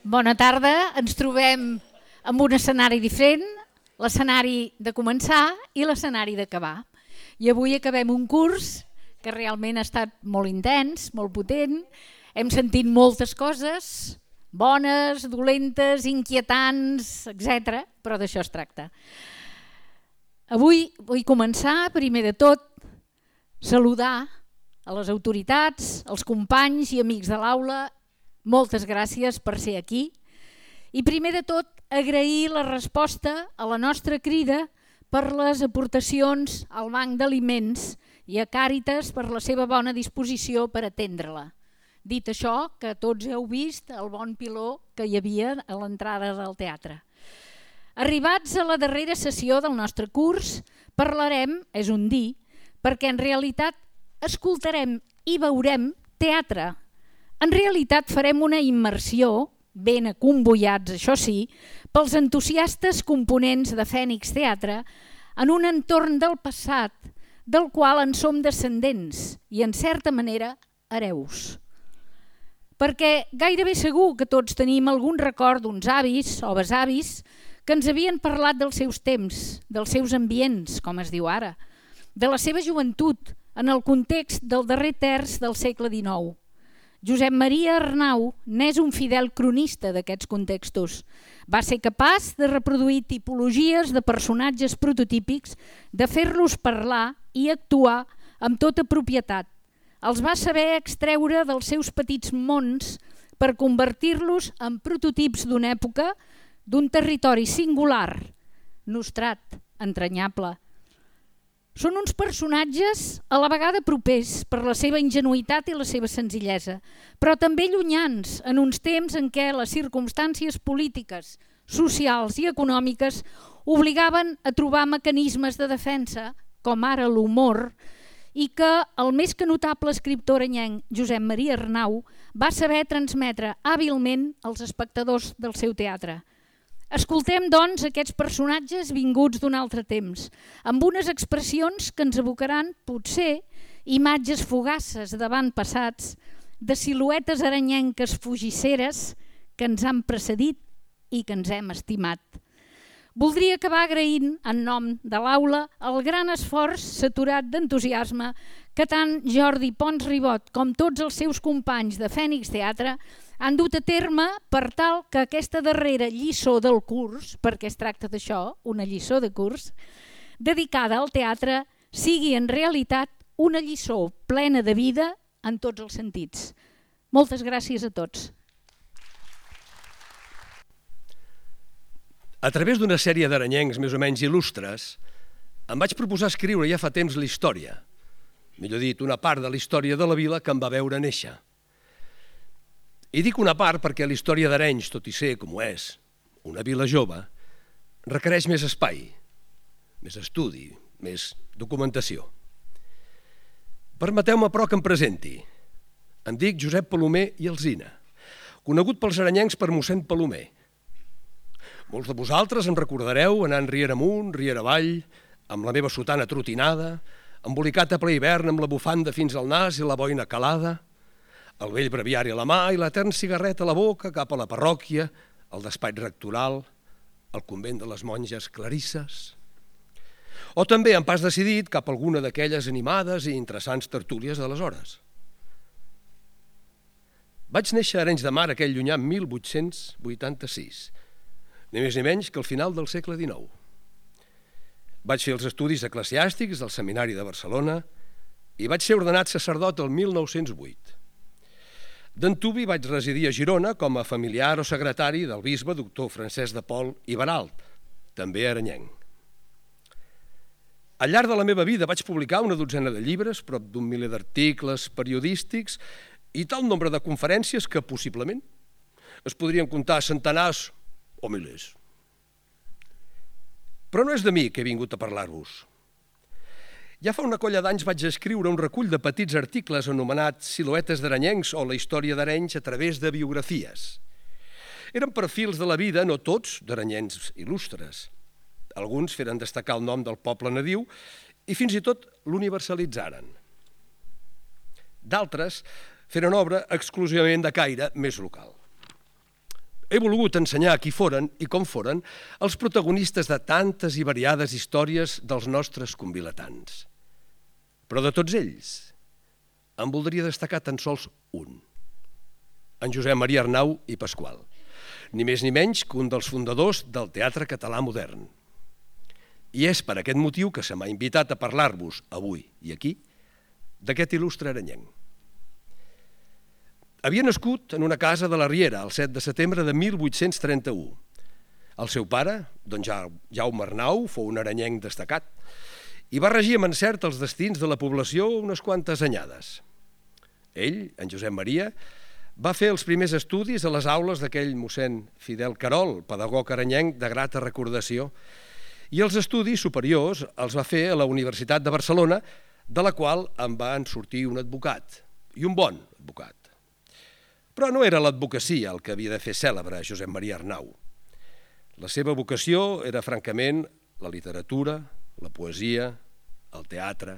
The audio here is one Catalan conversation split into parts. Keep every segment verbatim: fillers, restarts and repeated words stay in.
Bona tarda, ens trobem amb un escenari diferent, l'escenari de començar i l'escenari d'acabar. I avui acabem un curs que realment ha estat molt intens, molt potent, hem sentit moltes coses, bones, dolentes, inquietants, etcètera, però d'això es tracta. Avui vull començar, primer de tot, saludar a les autoritats, als companys i amics de l'aula. Moltes gràcies per ser aquí. I primer de tot, agrair la resposta a la nostra crida per les aportacions al Banc d'Aliments i a Càritas per la seva bona disposició per atendre-la. Dit això, que tots heu vist el bon piló que hi havia a l'entrada del teatre. Arribats a la darrera sessió del nostre curs, parlarem, és un dir, perquè en realitat escoltarem i veurem teatre. En realitat farem una immersió, ben acomboiats, això sí, pels entusiastes components de Fènix Teatre en un entorn del passat del qual en som descendents i, en certa manera, hereus. Perquè gairebé segur que tots tenim algun record d'uns avis o besavis que ens havien parlat dels seus temps, dels seus ambients, com es diu ara, de la seva joventut en el context del darrer terç del segle dinou. Josep Maria Arnau n'és un fidel cronista d'aquests contextos. Va ser capaç de reproduir tipologies de personatges prototípics, de fer-los parlar i actuar amb tota propietat. Els va saber extreure dels seus petits mons per convertir-los en prototips d'una època, d'un territori singular, nostrat, entranyable. Són uns personatges a la vegada propers per la seva ingenuïtat i la seva senzillesa, però també llunyans en uns temps en què les circumstàncies polítiques, socials i econòmiques obligaven a trobar mecanismes de defensa, com ara l'humor, i que el més que notable escriptor arenyenc, Josep Maria Arnau, va saber transmetre hàbilment als espectadors del seu teatre. Escoltem, doncs, aquests personatges vinguts d'un altre temps, amb unes expressions que ens evocaran, potser, imatges fugaces d'avantpassats, de siluetes aranyenques fugisseres que ens han precedit i que ens hem estimat. Voldria acabar agraint, en nom de l'aula, el gran esforç saturat d'entusiasme que tant Jordi Pons Ribot com tots els seus companys de Fènix Teatre han dut a terme per tal que aquesta darrera lliçó del curs, perquè es tracta d'això, una lliçó de curs, dedicada al teatre, sigui en realitat una lliçó plena de vida en tots els sentits. Moltes gràcies a tots. A través d'una sèrie d'aranyencs més o menys il·lustres, em vaig proposar escriure ja fa temps la història, millor dit, una part de la història de la vila que em va veure néixer. I dic una part perquè la història d'Arenys, tot i ser com ho és, una vila jove, requereix més espai, més estudi, més documentació. Permeteu-me, però, que em presenti. Em dic Josep Palomer i Alsina, conegut pels aranyencs per mossèn Palomer. Molts de vosaltres em recordareu anant riera amunt, riera avall, amb la meva sotana trotinada, embolicat a ple hivern amb la bufanda fins al nas i la boina calada, el vell breviari a la mà i l'etern cigarret a la boca cap a la parròquia, el despatx rectoral, el convent de les monges clarisses. O també, en pas decidit, cap a alguna d'aquelles animades i interessants tertúlies d'aleshores. Vaig néixer a Arenys de Mar aquell llunyà mil vuit-cents vuitanta-sis, ni més ni menys que al final del segle dinou. Vaig fer els estudis eclesiàstics del Seminari de Barcelona i vaig ser ordenat sacerdot el mil nou-cents vuit. D'antuvi vaig residir a Girona com a familiar o secretari del bisbe doctor Francesc de Pol i Baralt, també aranyenc. Al llarg de la meva vida vaig publicar una dotzena de llibres, prop d'un miler d'articles periodístics i tal nombre de conferències que possiblement es podrien comptar centenars o milers. Però no és de mi que he vingut a parlar-vos. Ja fa una colla d'anys vaig escriure un recull de petits articles anomenats Siluetes d'aranyencs o la història d'Arenys a través de biografies. Eren perfils de la vida, no tots, d'aranyencs il·lustres. Alguns feren destacar el nom del poble nadiu i fins i tot l'universalitzaren. D'altres feren obra exclusivament de caire més local. he volgut ensenyar qui foren i com foren els protagonistes de tantes i variades històries dels nostres convilatans. Però de tots ells, en voldria destacar tan sols un, en Josep Maria Arnau i Pasqual, ni més ni menys que un dels fundadors del teatre català modern. I és per aquest motiu que se m'ha invitat a parlar-vos avui i aquí d'aquest il·lustre arenyenc. Havia nascut en una casa de la Riera el set de setembre de mil vuit-cents trenta-u. El seu pare, don Jaume Arnau, fou un arenyenc destacat i va regir amb encert els destins de la població unes quantes anyades. Ell, en Josep Maria, va fer els primers estudis a les aules d'aquell mossèn Fidel Carol, pedagog arenyenc de grata recordació, i els estudis superiors els va fer a la Universitat de Barcelona, de la qual en van sortir un advocat, i un bon advocat. Però no era l'advocacia el que havia de fer cèlebre Josep Maria Arnau. La seva vocació era, francament, la literatura, la poesia, el teatre.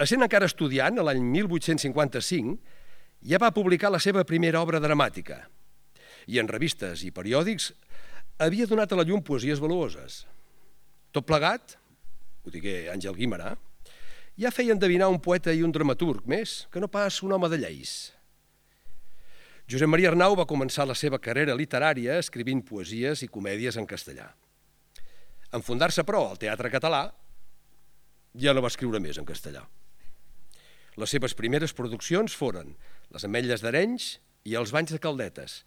Essent encara estudiant, l'any mil vuit-cents cinquanta-cinc, ja va publicar la seva primera obra dramàtica i en revistes i periòdics havia donat a la llum poesies valuoses. Tot plegat, ho digué Àngel Guimerà, ja feia endevinar un poeta i un dramaturg més que no pas un home de lleis. Josep Maria Arnau va començar la seva carrera literària escrivint poesies i comèdies en castellà. En fundar-se, però, al Teatre Català, ja no va escriure més en castellà. Les seves primeres produccions foren Les ametlles d'Arenys i Els banys de Caldetes.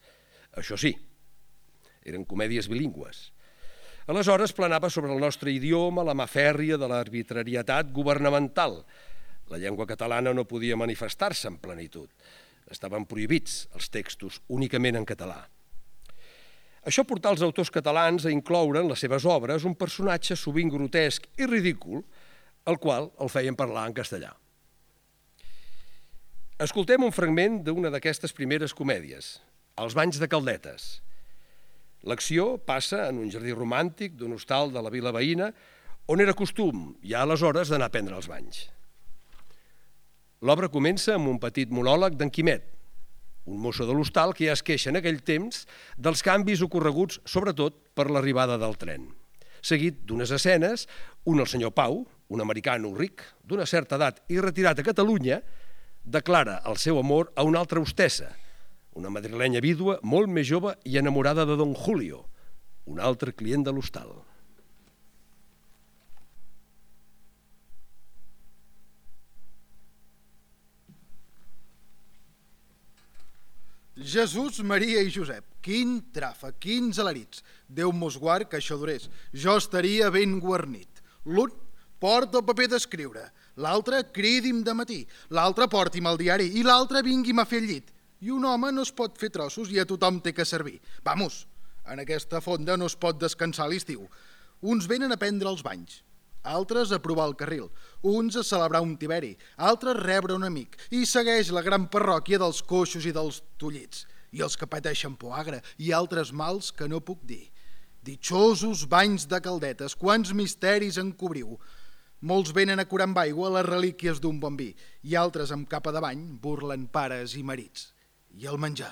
Això sí, eren comèdies bilingües. Aleshores planava sobre el nostre idioma la mà fèrria de l'arbitrarietat governamental. La llengua catalana no podia manifestar-se en plenitud. Estaven prohibits els textos únicament en català. Això portà els autors catalans a incloure en les seves obres un personatge sovint grotesc i ridícul, el qual el feien parlar en castellà. Escoltem un fragment d'una d'aquestes primeres comèdies, Els banys de Caldetes. L'acció passa en un jardí romàntic d'un hostal de la vila veïna on era costum, ja aleshores, d'anar a prendre els banys. L'obra comença amb un petit monòleg d'en Quimet, un mosso de l'hostal que ja es queixa en aquell temps dels canvis ocorreguts, sobretot per l'arribada del tren. Seguit d'unes escenes, un el senyor Pau, un americano ric, d'una certa edat i retirat a Catalunya, declara el seu amor a una altra hostessa, una madrilenya vídua molt més jove i enamorada de don Julio, un altre client de l'hostal. Jesús, Maria i Josep, quin tràfic, quins alarits. Déu mos guard que això durés. Jo estaria ben guarnit. L'un porta el paper d'escriure, l'altre cridi'm de matí, l'altre porti'm el diari i l'altre vingui'm a fer el llit. I un home no es pot fer trossos i a tothom té que servir. Vamos, en aquesta fonda no es pot descansar a l'estiu. Uns venen a prendre els banys, altres a provar el carril, uns a celebrar un tiberi, altres a rebre un amic, i segueix la gran parròquia dels coixos i dels tollits, i els que pateixen poagra, i altres mals que no puc dir. Ditxosos banys de Caldetes, quants misteris en cobriu. Molts venen a curar amb aigua les relíquies d'un bon vi, i altres amb capa de bany burlen pares i marits. I el menjar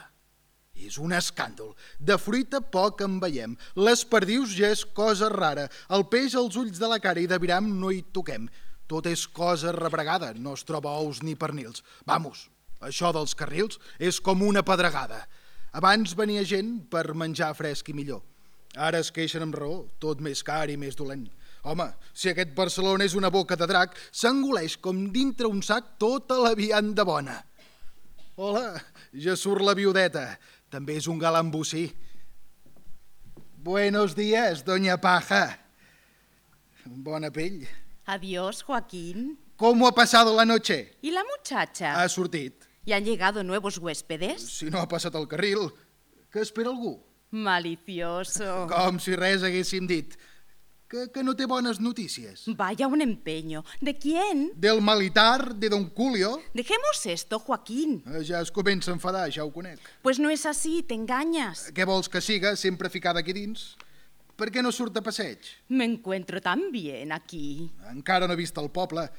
és un escàndol. De fruita poc en veiem. Les perdius ja és cosa rara. El peix als ulls de la cara i de viram no hi toquem. Tot és cosa rebregada, no es troba ous ni pernils. Vamos, això dels carrils és com una pedregada. Abans venia gent per menjar fresc i millor. Ara es queixen amb raó, tot més car i més dolent. Home, si aquest Barcelona és una boca de drac, s'engoleix com dintre un sac tota la vianda bona. Hola, ja surt la viudeta. També és un galant bocí. Buenos días, doña Paja. Bona pell. Adiós, Joaquín. ¿Cómo ha pasado la noche? ¿Y la muchacha? Ha sortit. ¿Y han llegado nuevos huéspedes? Si no ha passat el carril, que espera algú? Malicioso. Com si res haguéssim dit. Que, que no té bones notícies. Vaya un empeño. ¿De quién? Del militar, de don Julio. Dejemos esto, Joaquín. Eh, Ja es comença a enfadar, ja ho conec. Pues no es así, te engañas. Què vols que siga, sempre ficada aquí dins? Per què no surt a passeig? Me encuentro tan bien aquí. Encara no he vist el poble.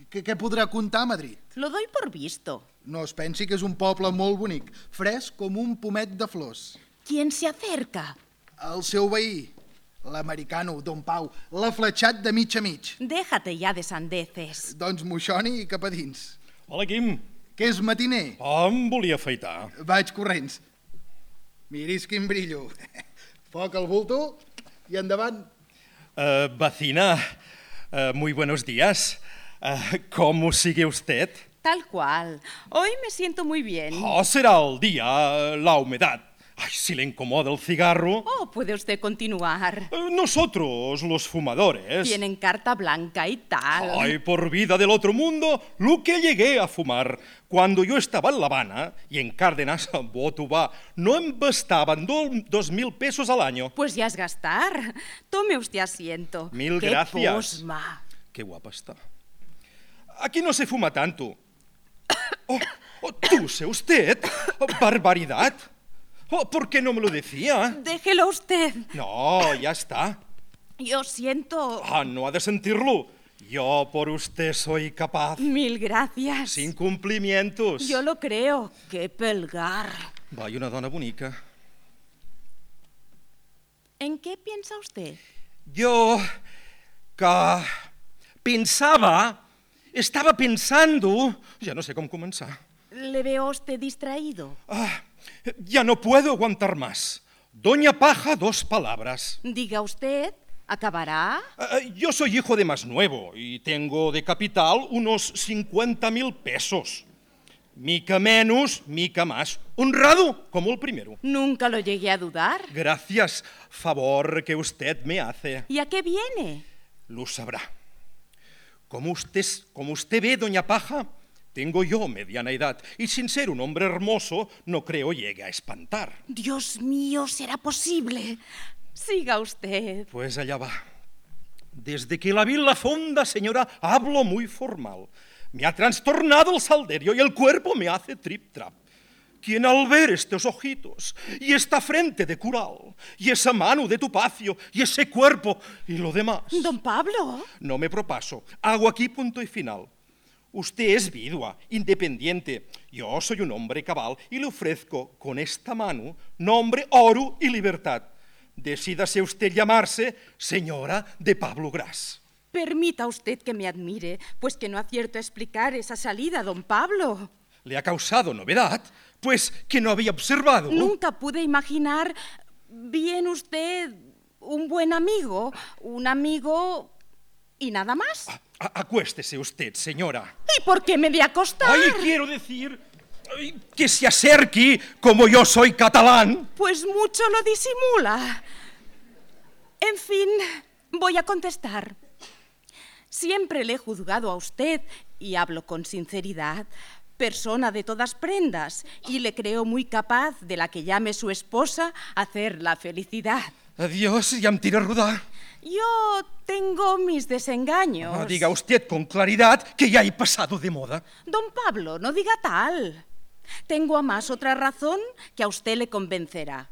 Què, què podrà contar a Madrid? Lo doy por visto. No es pensi que és un poble molt bonic, fresc com un pomet de flors. ¿Quién se acerca? El seu veí, l'americano, don Pau, l'ha fletxat de mig a mig. Déjate ya de sandeces. Doncs moixoni i cap a dins. Hola, Quim. Que és matiner? Oh, em volia afaitar. Vaig corrents. Miris quin brillo. Foc al bulto i endavant. Uh, vecina, uh, muy buenos días. Uh, ¿Cómo sigue usted? Tal cual. Hoy me siento muy bien. Oh, será el día, la humedad. Ay, si le incomoda el cigarro. Oh, puede usted continuar. Uh, nosotros, los fumadores. Tienen carta blanca y tal. Ay, por vida del otro mundo, lo que llegué a fumar cuando yo estaba en La Habana y en Cárdenas, Botubá, no em bastaban do, dos mil pesos al año. Pues ya es gastar. Tome usted asiento. Mil ¡Qué gracias. posma! Qué guapa está. Aquí no se fuma tanto. Oh, oh, ¿túse usted? Oh, barbaridad. Oh, ¿por qué no me lo decía? Déjelo usted. No, ya está. Yo siento... Ah, no ha de sentirlo. Yo por usted soy capaz. Mil gracias. Sin cumplimientos. Yo lo creo. Qué pelgar. Vaya una dona bonica. ¿En qué piensa usted? Yo... que... pensava... Estava pensando... Ja no sé com començar. ¿Le veo a usted distraído? Ah, ya no puedo aguantar más. Doña Paja, dos palabras. Diga usted, ¿acabará? Ah, yo soy hijo de más nuevo y tengo de capital unos cincuenta mil pesos. Mica menos, mica más. Honrado como el primero. Nunca lo llegué a dudar. Gracias, favor que usted me hace. ¿Y a qué viene? Lo sabrá. Como usted, como usted ve, doña Paja, tengo yo mediana edad y sin ser un hombre hermoso no creo llegue a espantar. Dios mío, ¿será posible? Siga usted. Pues allá va. Desde que la vi en la fonda, señora, hablo muy formal. Me ha trastornado el salderio y el cuerpo me hace trip-trap. Quien al ver estos ojitos y esta frente de cural y esa mano de tupacio y ese cuerpo y lo demás... Don Pablo. No me propaso. Hago aquí punto y final. Usted es vidua, independiente. Yo soy un hombre cabal y le ofrezco con esta mano nombre, oro y libertad. Decídase usted llamarse señora de Pablo Gras. Permita usted que me admire, pues que no acierto a explicar esa salida, don Pablo. ¿Le ha causado novedad? Pues que no había observado. Nunca pude imaginar, bien usted, un buen amigo, un amigo y nada más. A- acuéstese usted, señora. ¿Y por qué me de acostar? Ay, quiero decir ay, que se acerque como yo soy catalán. Pues mucho lo disimula. En fin, voy a contestar. Siempre le he juzgado a usted, y hablo con sinceridad, persona de todas prendas, y le creo muy capaz de la que llame su esposa hacer la felicidad. Adiós, ya me tira rodar. Yo tengo mis desengaños. Ah, diga usted con claridad que ya he pasado de moda. Don Pablo, no diga tal. Tengo a más otra razón que a usted le convencerá.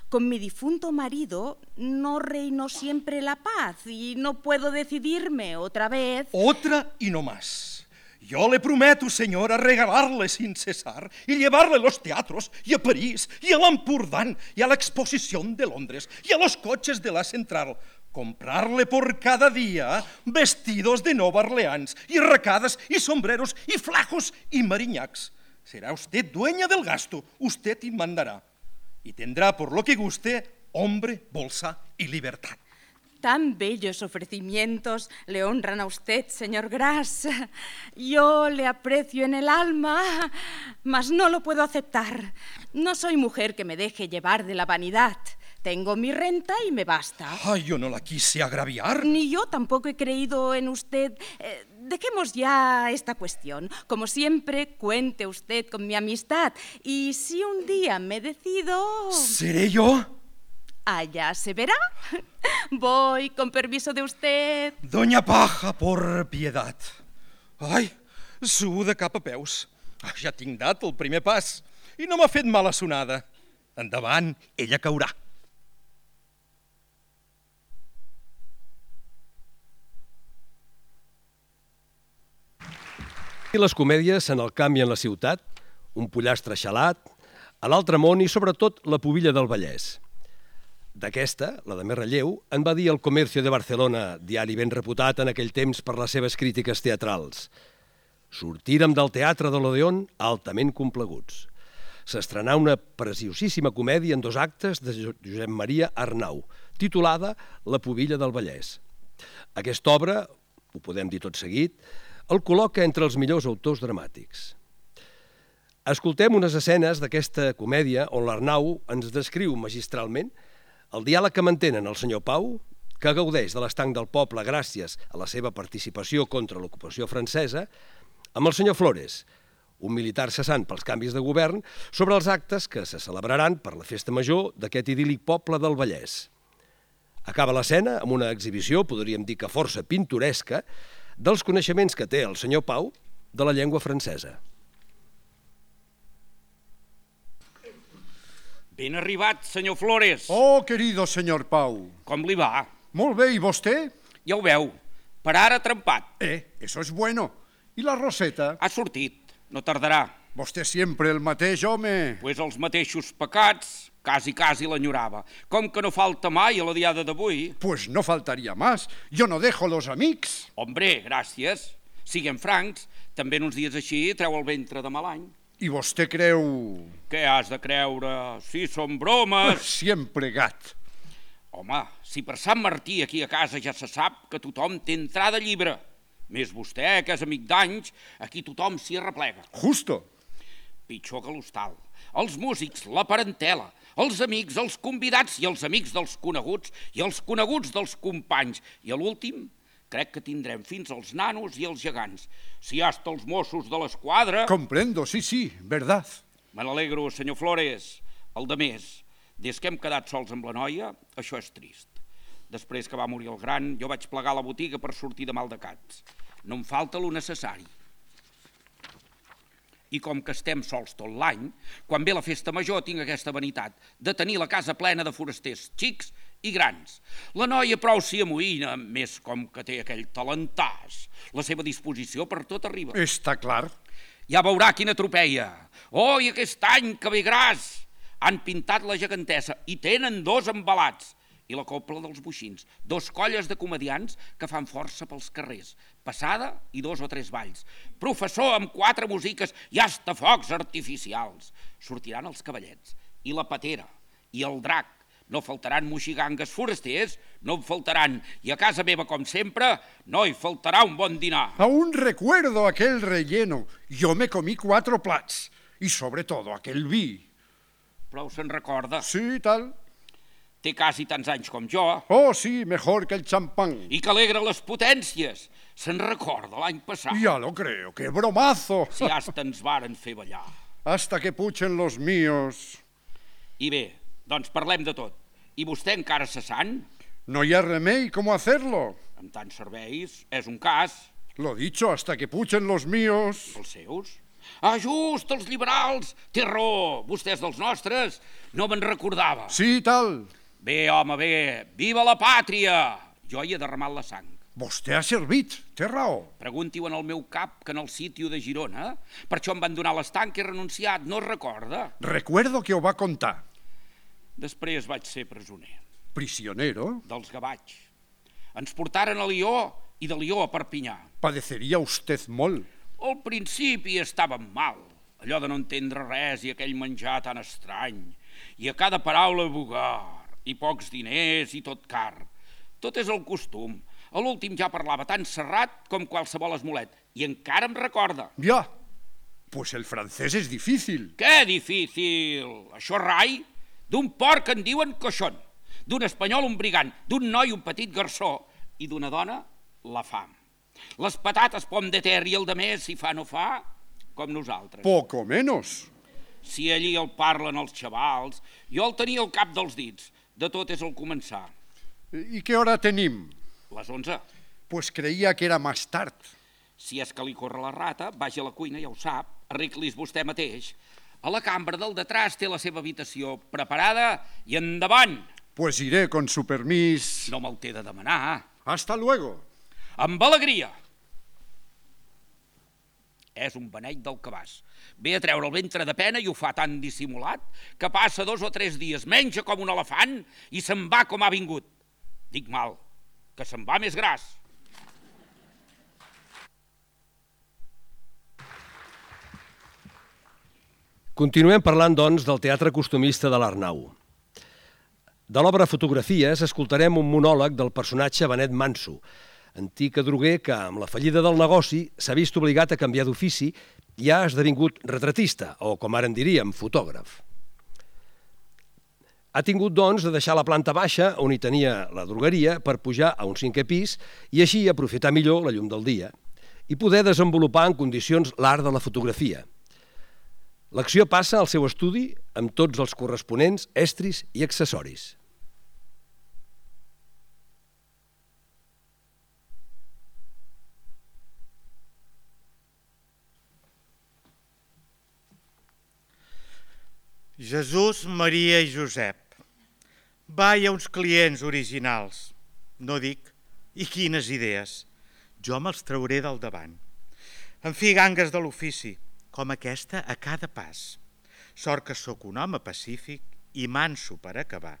Con mi difunto marido no reinó siempre la paz y no puedo decidirme otra vez. Otra y no más. Yo le prometo, señora, regalarle sin cesar y llevarle a los teatros y a París y a l'Empordán y a la exposición de Londres y a los coches de la Central. Comprarle por cada día vestidos de Nueva Orleans y arracadas y sombreros y flajos y mariñacs. Será usted dueña del gasto, usted y mandará. Y tendrá por lo que guste hombre, bolsa y libertad. Tan bellos ofrecimientos le honran a usted, señor Gras. Yo le aprecio en el alma, mas no lo puedo aceptar. No soy mujer que me deje llevar de la vanidad. Tengo mi renta y me basta. Ay, yo no la quise agraviar. Ni yo tampoco he creído en usted. Eh, dejemos ya esta cuestión. Como siempre, cuente usted con mi amistad. Y si un día me decido... ¿Seré yo? Allá se verá. Voy, con permiso de usted. Doña Paja, por piedad. Ai, suo de cap a peus. Ah, ja tinc dat el primer pas i no m'ha fet mala sonada. Endavant, ella caurà. I les comèdies en el camp i en la ciutat un pollastre xalat, a l'Altramont i sobretot la Pubilla del Vallès. D'aquesta, la de més relleu, en va dir El Comercio de Barcelona, diari ben reputat en aquell temps per les seves crítiques teatrals. Sortírem del teatre de l'Odeón altament compleguts. S'estrenà una preciosíssima comèdia en dos actes de Josep Maria Arnau, titulada La Pubilla del Vallès. Aquesta obra, ho podem dir tot seguit, el col·loca entre els millors autors dramàtics. Escoltem unes escenes d'aquesta comèdia on l'Arnau ens descriu magistralment el diàleg que mantenen el senyor Pau, que gaudeix de l'estanc del poble gràcies a la seva participació contra l'ocupació francesa, amb el senyor Flores, un militar cessant pels canvis de govern, sobre els actes que se celebraran per la festa major d'aquest idíl·lic poble del Vallès. Acaba l'escena amb una exhibició, podríem dir que força pintoresca, dels coneixements que té el senyor Pau de la llengua francesa. Ben arribat, senyor Flores. Oh, querido senyor Pau. Com li va? Molt bé, i vostè? Ja ho veu, per ara trempat. Eh, eso es bueno. I la Roseta? Ha sortit, no tardarà. Vostè sempre el mateix, home. Pues els mateixos pecats, quasi, quasi l'enyorava. Com que no falta mai a la diada d'avui. Pues no faltaria más. Yo no dejo los amics. Hombre, gràcies. Siguem francs, també en uns dies així treu el ventre de mal any. I vostè creu... Què has de creure? Si són bromes... Sempre gat. Home, si per Sant Martí aquí a casa ja se sap que tothom té entrada llibre. Més vostè, que és amic d'anys, aquí tothom s'hi arreplega. Justo. Pitjor que l'hostal. Els músics, la parentela, els amics, els convidats i els amics dels coneguts i els coneguts dels companys. I a l'últim, crec que tindrem fins als nanos i els gegants. Si hasta els Mossos de l'Esquadra... Comprendo, sí, sí, verdad. Me n'alegro, senyor Flores. El de més, des que hem quedat sols amb la noia, això és trist. Després que va morir el gran, jo vaig plegar la botiga per sortir de maldecats. No em falta lo necessari. I com que estem sols tot l'any, quan ve la festa major tinc aquesta vanitat de tenir la casa plena de forasters xics i grans. La noia prou s'hi amoïna, més com que té aquell talentàs. La seva disposició per tot arriba. Està clar. Ja veurà quina tropeia. Oh, i aquest any que ve gras! Han pintat la gegantessa i tenen dos embalats. I la copla dels boixins. Dos colles de comedians que fan força pels carrers. Passada i dos o tres balls. Professor amb quatre musiques i hasta focs artificials. Sortiran els cavallets. I la patera. I el drac. No faltaran moxigangues forasters, no en faltaran. I a casa meva, com sempre, no hi faltarà un bon dinar. Aún recuerdo aquel relleno. Yo me comí cuatro plats. Y sobre todo aquel vi. Prou se'n recorda. Sí, tal. Té quasi tants anys com jo. Oh, sí, mejor que el champán. I que alegra les potències. Se'n recorda l'any passat. Ya lo creo, qué bromazo. Si hasta ens varen fer ballar. Hasta que puchen los míos. I bé, doncs parlem de tot. I vostè encara cessant? No hi ha remei, ¿cómo hacerlo? Amb tants serveis, és un cas. Lo dicho, hasta que puchen los míos. Els seus? Ah, just, els liberals! Té raó, vostès dels nostres. No me'n recordava. Sí, tal. Bé, home, bé. Viva la pàtria! Jo hi he derramat la sang. Vostè ha servit, té raó. Pregunti-ho en el meu cap que en el sitio de Girona. Per això em van donar l'estanc i he renunciat, no es recorda? Recuerdo que ho va contar. Després vaig ser presoner. Prisionero. Dels gavatx. Ens portaren a Lió i de Lió a Perpinyà. Padeceria usted molt. Al principi estàvem mal, allò de no entendre res i aquell menjar tan estrany, i a cada paraula bugar, i pocs diners i tot car. Tot és el costum. A l'últim ja parlava tan serrat com qualsevol esmolet, i encara em recorda. Ja, pues el francès és difícil. Què difícil? Això rai? D'un porc en diuen coixon, d'un espanyol un brigant, d'un noi un petit garçó, i d'una dona la fam. Les patates pom de ter i el de més, si fa no fa, com nosaltres. Poco menos. Si allí el parlen els xavals, jo el tenia al cap dels dits. De tot és el començar. I què hora tenim? Les onze. Pues creia que era més tard. Si és que li corre la rata, vagi a la cuina, ja ho sap, arreglis vostè mateix. A la cambra del detrás té la seva habitació preparada i endavant. Pues iré con su permís. No me'l té de demanar. Hasta luego. Amb alegria. és un beneit del cabàs. Ve a treure el ventre de pena i ho fa tan dissimulat que passa dos o tres dies, menja com un elefant i se'n va com ha vingut. Dic mal, que se'n va més gras. Continuem parlant, doncs, del teatre costumista de l'Arnau. De l'obra Fotografies escoltarem un monòleg del personatge Benet Manso, antic adroguer que, amb la fallida del negoci, s'ha vist obligat a canviar d'ofici i ha esdevingut retratista, o, com ara en diríem, fotògraf. Ha tingut, doncs, de deixar la planta baixa, on hi tenia la drogueria, per pujar a un cinquè pis i així aprofitar millor la llum del dia i poder desenvolupar en condicions l'art de la fotografia. L'acció passa al seu estudi amb tots els corresponents estris i accessoris. Jesús, Maria i Josep. Va, hi ha uns clients originals. No dic, i quines idees. Jo me'ls trauré del davant. En fi, gangues de l'ofici, com aquesta a cada pas. Sort que sóc un home pacífic i manso per acabar.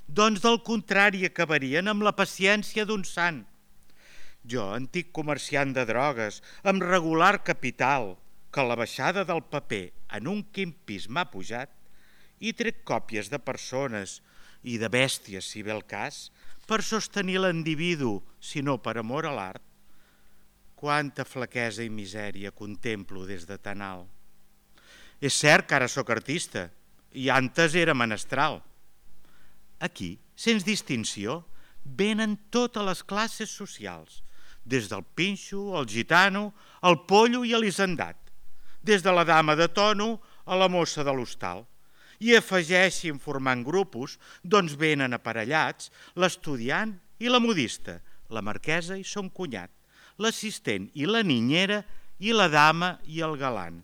Doncs del contrari acabarien amb la paciència d'un sant. Jo, antic comerciant de drogues, amb regular capital, que la baixada del paper en un quin pis m'ha pujat, i trec còpies de persones i de bèsties, si ve el cas, per sostenir l'individu, si no per amor a l'art. Quanta flaquesa i misèria contemplo des de tan alt. És cert que ara sóc artista, i antes era menestral. Aquí, sense distinció, venen totes les classes socials, des del pinxo, el gitano, el pollo i l'hisendat, des de la dama de tono a la mossa de l'hostal. I afegeixin formant grupos, doncs venen aparellats l'estudiant i la modista, la marquesa i son cunyat, l'assistent i la niñera i la dama i el galant.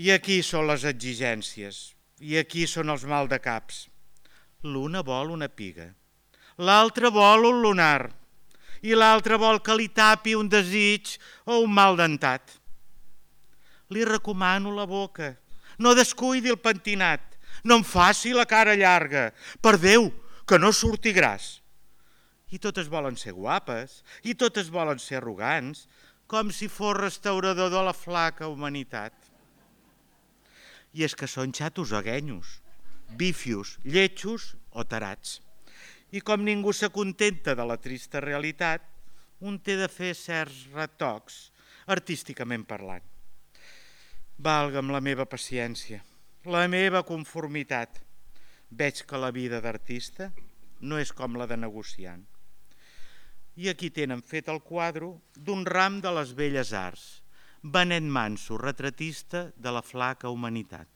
I aquí són les exigències, i aquí són els maldecaps. L'una vol una piga, l'altra vol un lunar, i l'altra vol que li tapi un desig o un mal dentat. Li recomano la boca, no descuidi el pentinat, no em faci la cara llarga, per Déu, que no surti gras. I totes volen ser guapes, i totes volen ser arrogants, com si fos restaurador de la flaca humanitat. I és que són xatos o guenyos, bífios, lletjos o tarats. I com ningú s'acontenta de la trista realitat, un té de fer certs retocs, artísticament parlant. Valga'm la meva paciència, la meva conformitat. Veig que la vida d'artista no és com la de negociant. I aquí tenen fet el quadre d'un ram de les belles arts, Benet Manso, retratista de la flaca humanitat.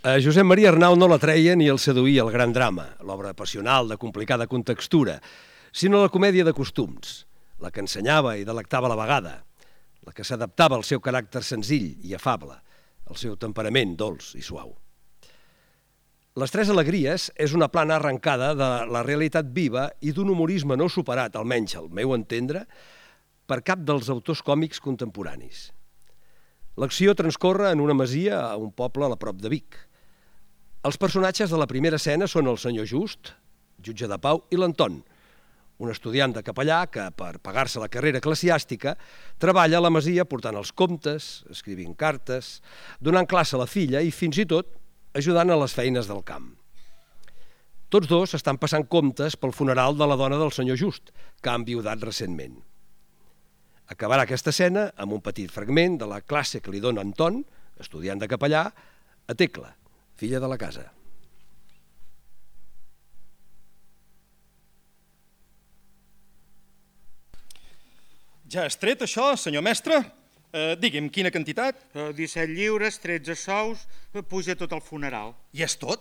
A Josep Maria Arnau no la treia ni el seduïa el gran drama, l'obra passional de complicada contextura, sinó la comèdia de costums, la que ensenyava i delectava a la vegada, la que s'adaptava al seu caràcter senzill i afable, al seu temperament dolç i suau. Les Tres Alegries és una plana arrencada de la realitat viva i d'un humorisme no superat, almenys al meu entendre, per cap dels autors còmics contemporanis. L'acció transcorre en una masia a un poble a la prop de Vic. Els personatges de la primera escena són el senyor Just, jutge de pau, i l'Anton, un estudiant de capellà que, per pagar-se la carrera eclesiàstica, treballa a la masia portant els comptes, escrivint cartes, donant classe a la filla i, fins i tot, ajudant a les feines del camp. Tots dos estan passant comptes pel funeral de la dona del senyor Just, que ha enviudat recentment. Acabarà aquesta escena amb un petit fragment de la classe que li dona Anton, estudiant de capellà, a Tecla, filla de la casa. Ja has tret això, senyor mestre? Eh, digui'm, quina quantitat? Eh, disset lliures, tretze sous, eh, puja tot el funeral. I és tot?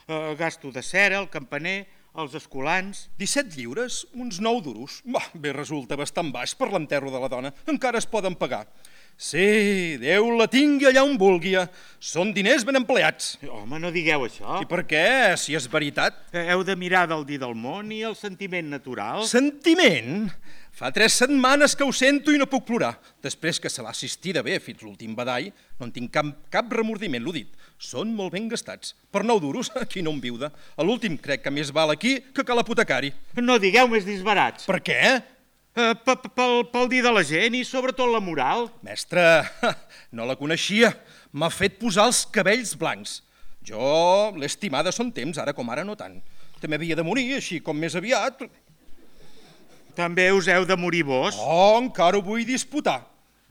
Eh, gasto de cera, el campaner, els escolans... disset lliures? Uns nou duros? Bah, bé, resulta bastant baix per l'enterro de la dona. Encara es poden pagar. Sí, Déu la tingui allà on vulgui. Són diners ben empleats. Home, no digueu això. I per què, si és veritat? Heu de mirar del dir del món i el sentiment natural. Sentiment? Fa tres setmanes que ho sento i no puc plorar. Després que se l'ha assistida bé fins l'últim badall, no en tinc cap, cap remordiment, l'ho dit. Són molt ben gastats. Per nou duros, aquí no en viuda. A l'últim crec que més val aquí que a l'apotecari. No digueu més disbarats. Per què? Uh, pel, pel dir de la gent i sobretot la moral. Mestre, no la coneixia. M'ha fet posar els cabells blancs. Jo l'he estimada son temps, ara com ara no tant. També havia de morir, així com més aviat. També us heu de morir vos? Oh, encara ho vull disputar.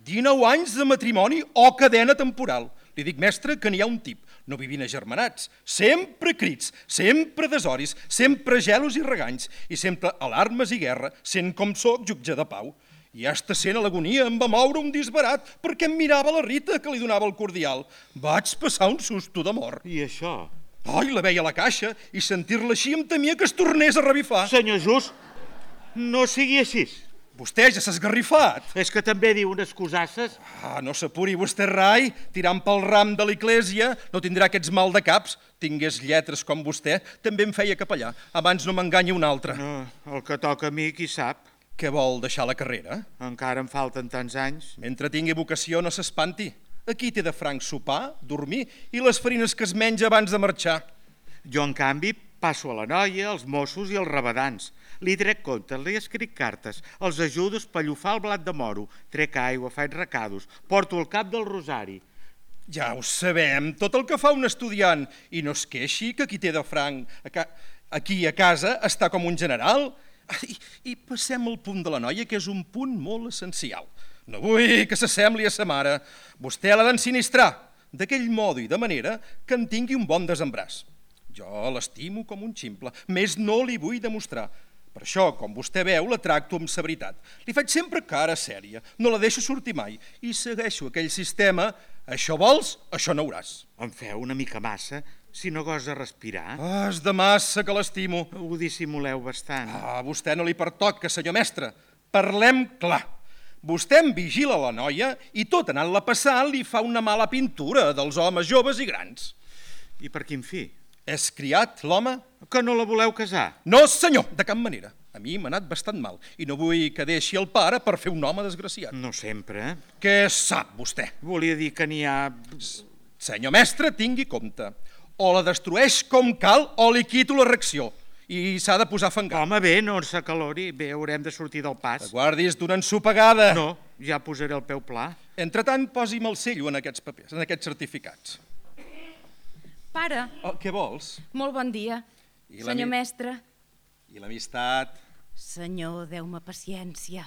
dinou anys de matrimoni o cadena temporal. Li dic, mestre, que n'hi ha un tip. No vivint agermanats, sempre crits, sempre desoris, sempre gelos i reganys, i sempre alarmes i guerra, sent com soc jutge de pau. I hasta sent a l'agonia em va moure un disbarat perquè em mirava la Rita que li donava el cordial. Vaig passar un susto de mort. I això? Ai, la veia a la caixa i sentir-la així em temia que es tornés a revifar. Senyor Just, no sigui així. Vostè ja s'ha esgarrifat. És que també diu unes cosasses. Ah, no s'apuri vostè, rai. Tirant pel ram de l'església no tindrà aquests mal de caps. Tingués lletres com vostè, també em feia capellà. Abans no m'enganya un altre. No, el que toca a mi, qui sap. Què vol, deixar la carrera? Encara em falten tants anys. Mentre tingui vocació no s'espanti. Aquí té de franc sopar, dormir i les farines que es menja abans de marxar. Jo, en canvi, passo a la noia, els Mossos i els rabadans. Li trec comptes, li escric cartes, els ajudo a espallofar el blat de moro, trec aigua, faig recados, porto el cap del rosari. Ja ho sabem, tot el que fa un estudiant, i no es queixi que qui té de franc aquí a casa està com un general. I, i passem al punt de la noia, que és un punt molt essencial. No vull que s'assembli a sa mare. Vostè l'ha d'ensinistrar, d'aquell modo i de manera que en tingui un bon desembràs. Jo l'estimo com un ximple, més no li vull demostrar. Per això, com vostè veu, la tracto amb severitat. Li faig sempre cara sèria, no la deixo sortir mai i segueixo aquell sistema, això vols, això no hauràs. Em feu una mica massa, si no gosa respirar. Ah, és de massa que l'estimo. Ho dissimuleu bastant. Ah, a vostè no li pertoca, senyor mestre. Parlem clar. Vostè em vigila la noia i tot anant-la passant li fa una mala pintura dels homes joves i grans. I per quin fi? És criat, l'home? Que no la voleu casar? No, senyor, de cap manera. A mi m'ha anat bastant mal i no vull que deixi el pare per fer un home desgraciat. No sempre. Què sap vostè? Volia dir que n'hi ha... Senyor mestre, tingui compte. O la destrueix com cal o li quito la reacció. I s'ha de posar a fangar. Home, bé, no s'acalori. Bé, haurem de sortir del pas. Guardis d'una ensopegada. No, ja posaré el peu pla. Entretant, posi'm el cello en aquests papers, en aquests certificats. Pare. Oh, què vols? Molt bon dia. I la Senyor mi- mestre. I l'amistat? Senyor, deu-me paciència.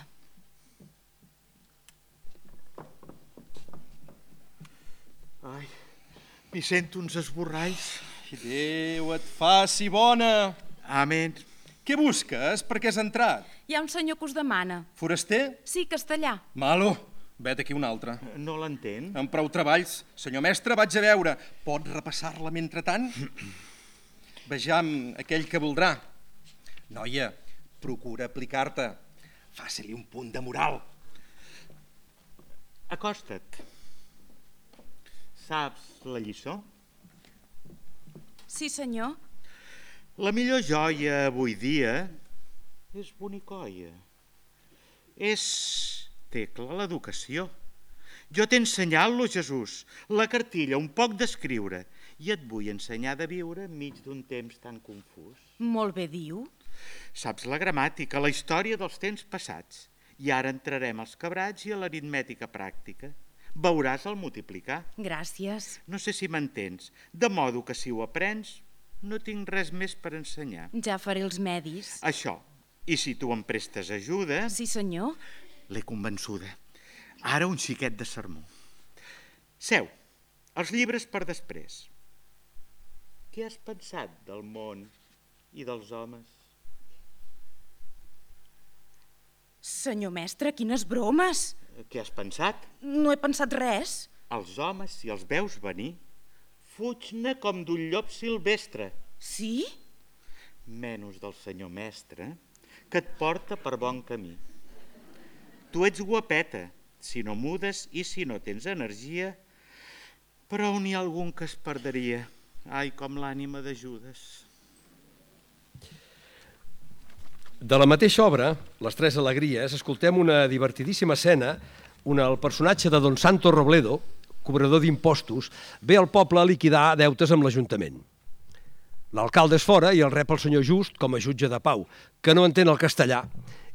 Ai, m'hi sento uns esborralls. I Déu et faci bona. Amén. Què busques? Per què has entrat? Hi ha un senyor que us demana. Foraster? Sí, castellà. Malo. Vet aquí un altre. No l'entén? Amb prou treballs. Senyor mestre, vaig a veure. Pot repassar-la mentrestant? Vejam aquell que voldrà. Noia, procura aplicar-te. Faci-li un punt de moral. Acosta't. Saps la lliçó? Sí, senyor. La millor joia avui dia és bonicoia. És, Tecla, l'educació. Jo t'he ensenyat-lo, Jesús, la cartilla, un poc d'escriure, i et vull ensenyar de viure enmig d'un temps tan confús. Molt bé diu. Saps la gramàtica, la història dels temps passats, i ara entrarem als quebrats i a l'aritmètica pràctica. Veuràs el multiplicar. Gràcies. No sé si m'entens, de modo que si ho aprens, no tinc res més per ensenyar. Ja faré els medis. Això, i si tu em prestes ajuda... Sí, senyor. L'he convençuda. Ara un xiquet de sermó. Seu, els llibres per després. Què has pensat del món i dels homes? Senyor mestre, quines bromes! Què has pensat? No he pensat res. Els homes, si els veus venir, fuig-ne com d'un llop silvestre. Sí? Menys del senyor mestre, que et porta per bon camí. Tu ets guapeta, si no mudes i si no tens energia, però n'hi ha algun que es perdria. Ai, com l'ànima de Judes. De la mateixa obra, Les tres alegries, escoltem una divertidíssima escena on el personatge de Don Santos Robledo, cobrador d'impostos, ve al poble a liquidar deutes amb l'Ajuntament. L'alcalde és fora i el rep el senyor Just com a jutge de pau, que no entén el castellà,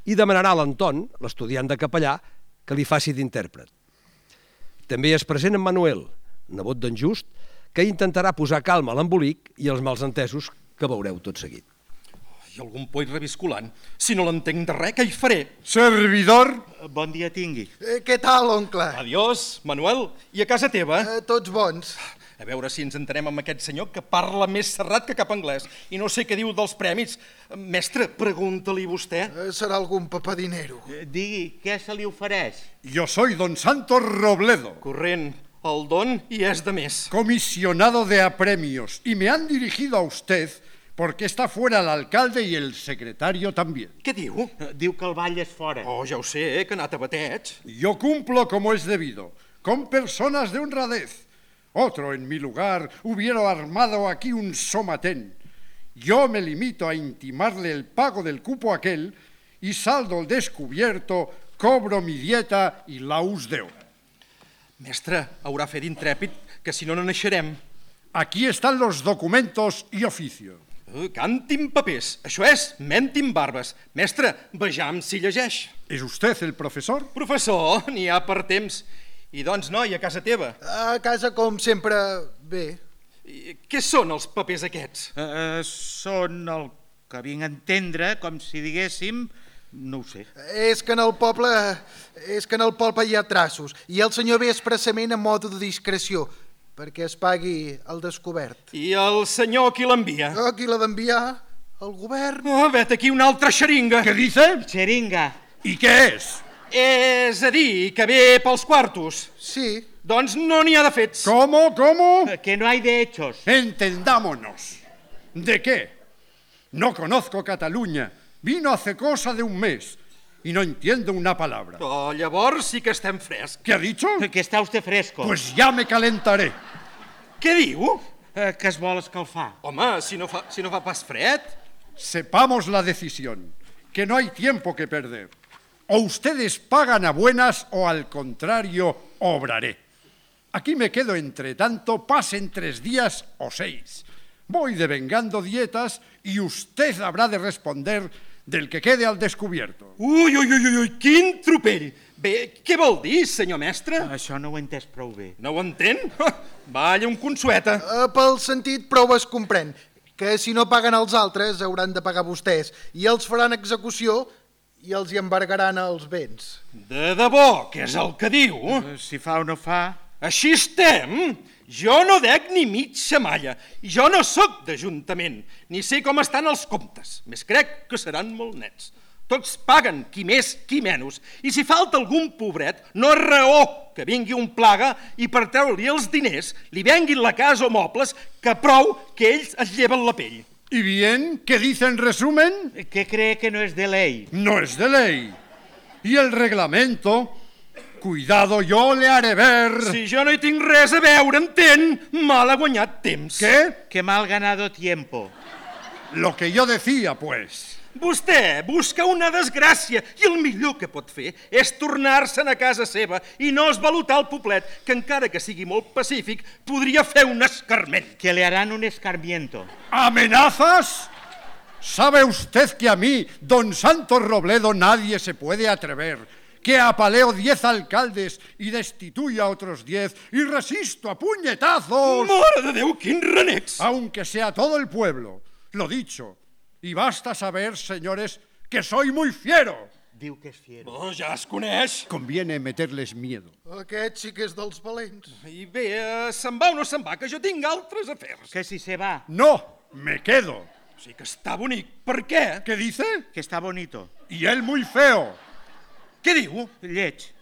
i demanarà a l'Anton, l'estudiant de capellà, que li faci d'intèrpret. També és present en Manuel, nebot d'en Just, que intentarà posar calma a l'embolic i els malsentesos que veureu tot seguit. I algun poll revisculant. Si no l'entenc de res, què hi faré? Servidor. Bon dia tingui. Eh, què tal, oncle? Adiós, Manuel. I a casa teva? Eh, tots bons. A veure si ens entenem amb aquest senyor que parla més serrat que cap anglès i no sé què diu dels premis. Mestre, pregunta-li vostè. Eh, serà algun papadinero. Eh, Digui, què se li ofereix? Yo soy don Santos Robledo, Corrent, el don i és de més. comisionado de apremios, y me han dirigido a usted porque está fuera el alcalde y el secretario también. Què diu? Eh, Diu que el ball és fora. Oh, ja ho sé, eh, que ha anat a batets. Yo cumplo como es debido, con personas de honradez. Otro en mi lugar hubiera armado aquí un somatén. Yo me limito a intimarle el pago del cupo aquel y saldo al descubierto, cobro mi dieta y laus deu. Mestre, haurà fet intrèpid, que si no no naixerem. Aquí están los documentos y oficio. Uh, cantin papers. Això és mentin barbes. Mestre, vejam si llegeix. ¿Es usted el profesor? Professor, n'hi ha per temps. I doncs, noi, a casa teva. A casa, com sempre, bé. I què són els papers aquests? Eh, són el que vinc a entendre, com si diguéssim, no ho sé. És que en el poble és que en el poble hi ha traços i el senyor ve expressament a modo de discreció perquè es pagui el descobert. I el senyor qui l'envia? Oh, qui l'ha d'enviar? El govern. Oh, vet aquí una altra xeringa. ¿Qué dice? Xeringa. ¿Y qué es? És a dir, que ve pels quartos. Sí. Doncs no n'hi ha de fets. ¿Cómo? ¿Cómo? Eh, Que no hay de hechos. Entendámonos. ¿De qué? No conozco Cataluña. Vino hace cosa de un mes y no entiendo una palabra. Oh, llavors sí que estem frescs. ¿Qué ha dicho? Que està usted fresco. Pues ya me calentaré. Què diu? Eh, que es vol escalfar. Home, si no fa, si no fa pas fred. Sepamos la decisión, que no hay tiempo que perder. O ustedes pagan a buenas o al contrario obraré. Aquí me quedo entre tanto, pasen tres días o seis. Voy devengando dietas y usted habrá de responder del que quede al descubierto. Ui, ui, ui, ui, quin tropell. Bé, què vol dir, senyor mestre? Això no ho he entès prou bé. No ho entén? Valla, un consueta. Uh, pel sentit prou es comprèn que si no paguen els altres hauran de pagar vostès i els faran execució i els hi embargaran els béns. De debò, què és el que diu? Eh, Si fa o no fa... Així estem? Jo no dec ni mitja malla. I jo no sóc d'Ajuntament, ni sé com estan els comptes. Més crec que seran molt nets. Tots paguen, qui més, qui menys. I si falta algun pobret, no és raó que vingui un plaga i per treure-li els diners li venguin la casa o mobles, que prou que ells es lleven la pell. ¿Y bien? ¿Qué dice en resumen? ¿Qué cree que no es de ley? No es de ley. Y el reglamento, cuidado, yo le haré ver... Si jo no hi tinc res a veure, entén? Mal ha guanyat temps. ¿Qué? Que mal ganado tiempo. Lo que yo decía, pues. Vostè busca una desgràcia i el millor que pot fer és tornar-se'n a casa seva i no esvalotar el poblet, que encara que sigui molt pacífic, podria fer un escarment. Que le harán un escarmiento. ¿Amenazas? ¿Sabe usted que a mí, don Santos Robledo, nadie se puede atrever? Que apaleo diez alcaldes y destituyo a otros diez y resisto a puñetazos... Mare de Déu, quins renecs! Aunque sea todo el pueblo, lo dicho. Y basta saber, señores, que soy muy fiero. Diu que és fiero. Oh, ja es coneix. Conviene meterles miedo. Aquest sí que és dels valents. I bé, eh, se'n va o no se'n va, que jo tinc altres afers. Que si se va. No, me quedo. Sí que està bonic. Per què? ¿Qué dice? Que está bonito. Y él muy feo. Què diu? Lleig.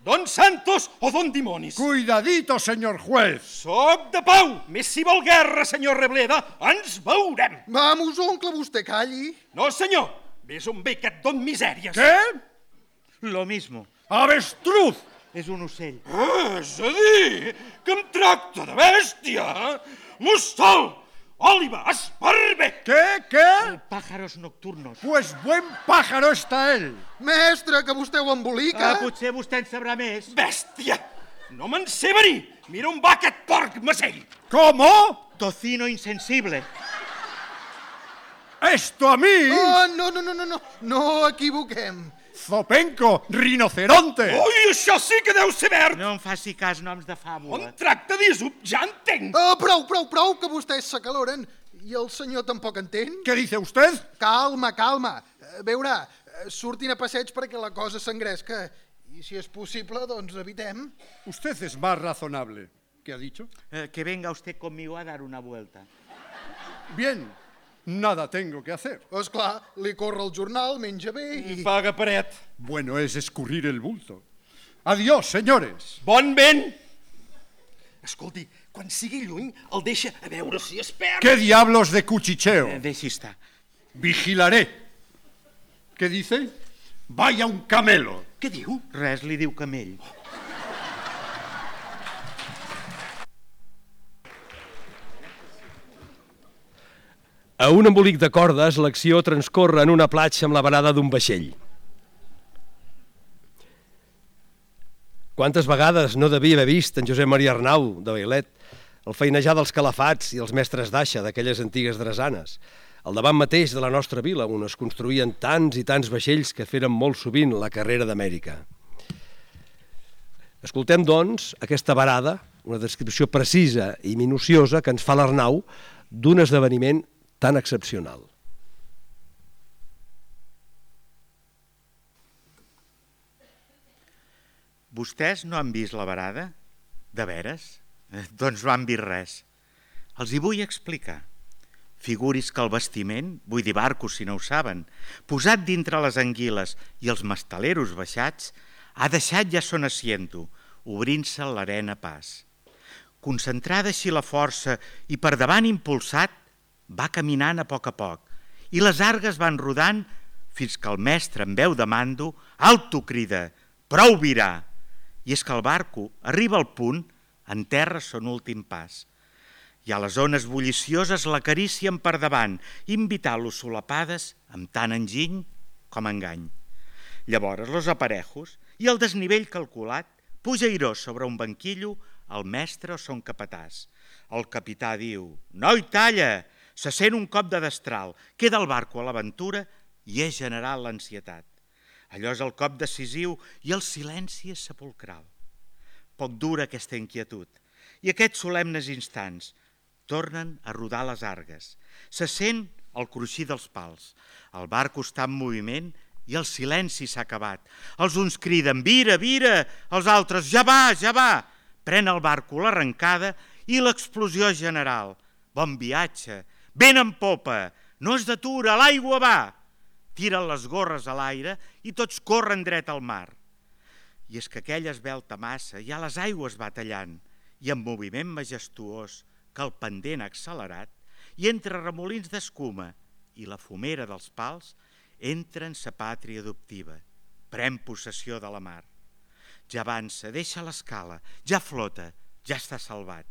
Don Santos o don Dimonis? Cuidadito, señor juez. Soc de pau. Més si vol guerra, senyor Rebleda. Ens veurem. Vamos, oncle, vostè calli. No, senyor. Ves on ve aquest don misèries. ¿Qué? Lo mismo. ¡Avestruz! És un ocell. Ah, és a dir, que em tracta de bèstia. Mostal, Oliva, esparve. ¿Qué? ¿Qué? Pájaros nocturnos. Pues buen pájaro está él. Mestre, que vostè ho embolica. Ah, potser vostè en sabrà més. Bèstia, no me'n sé venir. Mira on va aquest porc macell. ¿Cómo? Tocino insensible. ¿Esto a mí? Oh, no, no, no, no, no, no equivoquem. Zopenco, rinoceronte. Ui, això sí que deu ser verd. No em faci cas noms de On fàbula. tracta d'Isop, ja entenc. Oh, prou, prou, prou, que vostès s'acaloren. I el senyor tampoc entén? ¿Qué dice usted? Calma, calma. Eh, Veurà, eh, surtin a passeig perquè la cosa s'engresca. I si és possible, doncs evitem. Usted es más razonable. ¿Qué ha dicho? Eh, que venga usted conmigo a dar una vuelta. Bien, nada tengo que hacer. És clar, li corre el jornal, menja bé i... Paga paret. Bueno es escurrir el bulto. Adiós, señores. Bon vent. Escolti, quan sigui lluny, el deixa a veure si es perd. ¿Qué diablos de cuchicheo? Eh, deixi estar. Vigilaré. ¿Qué dice? Vaya un camelo. Què diu? Res li diu camell. A un embolic de cordes, l'acció transcorre en una platja amb la varada d'un vaixell. Quantes vegades no devia haver vist en Josep Maria Arnau, de Bailet, el feinejar dels calafats i els mestres d'aixa d'aquelles antigues drasanes, al davant mateix de la nostra vila, on es construïen tants i tants vaixells que feren molt sovint la carrera d'Amèrica. Escoltem, doncs, aquesta varada, una descripció precisa i minuciosa que ens fa l'Arnau d'un esdeveniment tan excepcional. Vostès no han vist la varada? De veres? Eh, doncs no han vist res. Els hi vull explicar. Figuris que el bastiment, vull dir barcos si no ho saben, posat dintre les anguiles i els mastaleros baixats, ha deixat ja son asiento, obrint-se l'arena a pas. Concentrada així la força i per davant impulsat, va caminant a poc a poc i les argues van rodant fins que el mestre, amb veu de mando, alto crida, prou virar. I és que el barco arriba al punt, enterra son últim pas. I a les ones bullicioses l'acaricien per davant, invitant-lo solapades amb tant enginy com engany. Llavors los aparejos i el desnivell calculat puja airós sobre un banquillo el mestre o son capatàs. El capità diu, noi, talla! Se sent un cop de destral, queda el barco a l'aventura i és general l'ansietat. Allò és el cop decisiu i el silenci és sepulcral. Poc dura aquesta inquietud i aquests solemnes instants tornen a rodar les argues. Se sent el cruixir dels pals. El barco està en moviment i el silenci s'ha acabat. Els uns criden, vira, vira, els altres, ja va, ja va. Pren el barco l'arrencada i l'explosió general. Bon viatge, vent en popa, no es detura, l'aigua va. Tiren les gorres a l'aire i tots corren dret al mar. I és que aquella esvelta massa ja les aigües va tallant i amb moviment majestuós que el pendent ha accelerat i entre remolins d'escuma i la fumera dels pals entra en sa pàtria adoptiva, pren possessió de la mar. Ja avança, deixa l'escala, ja flota, ja està salvat.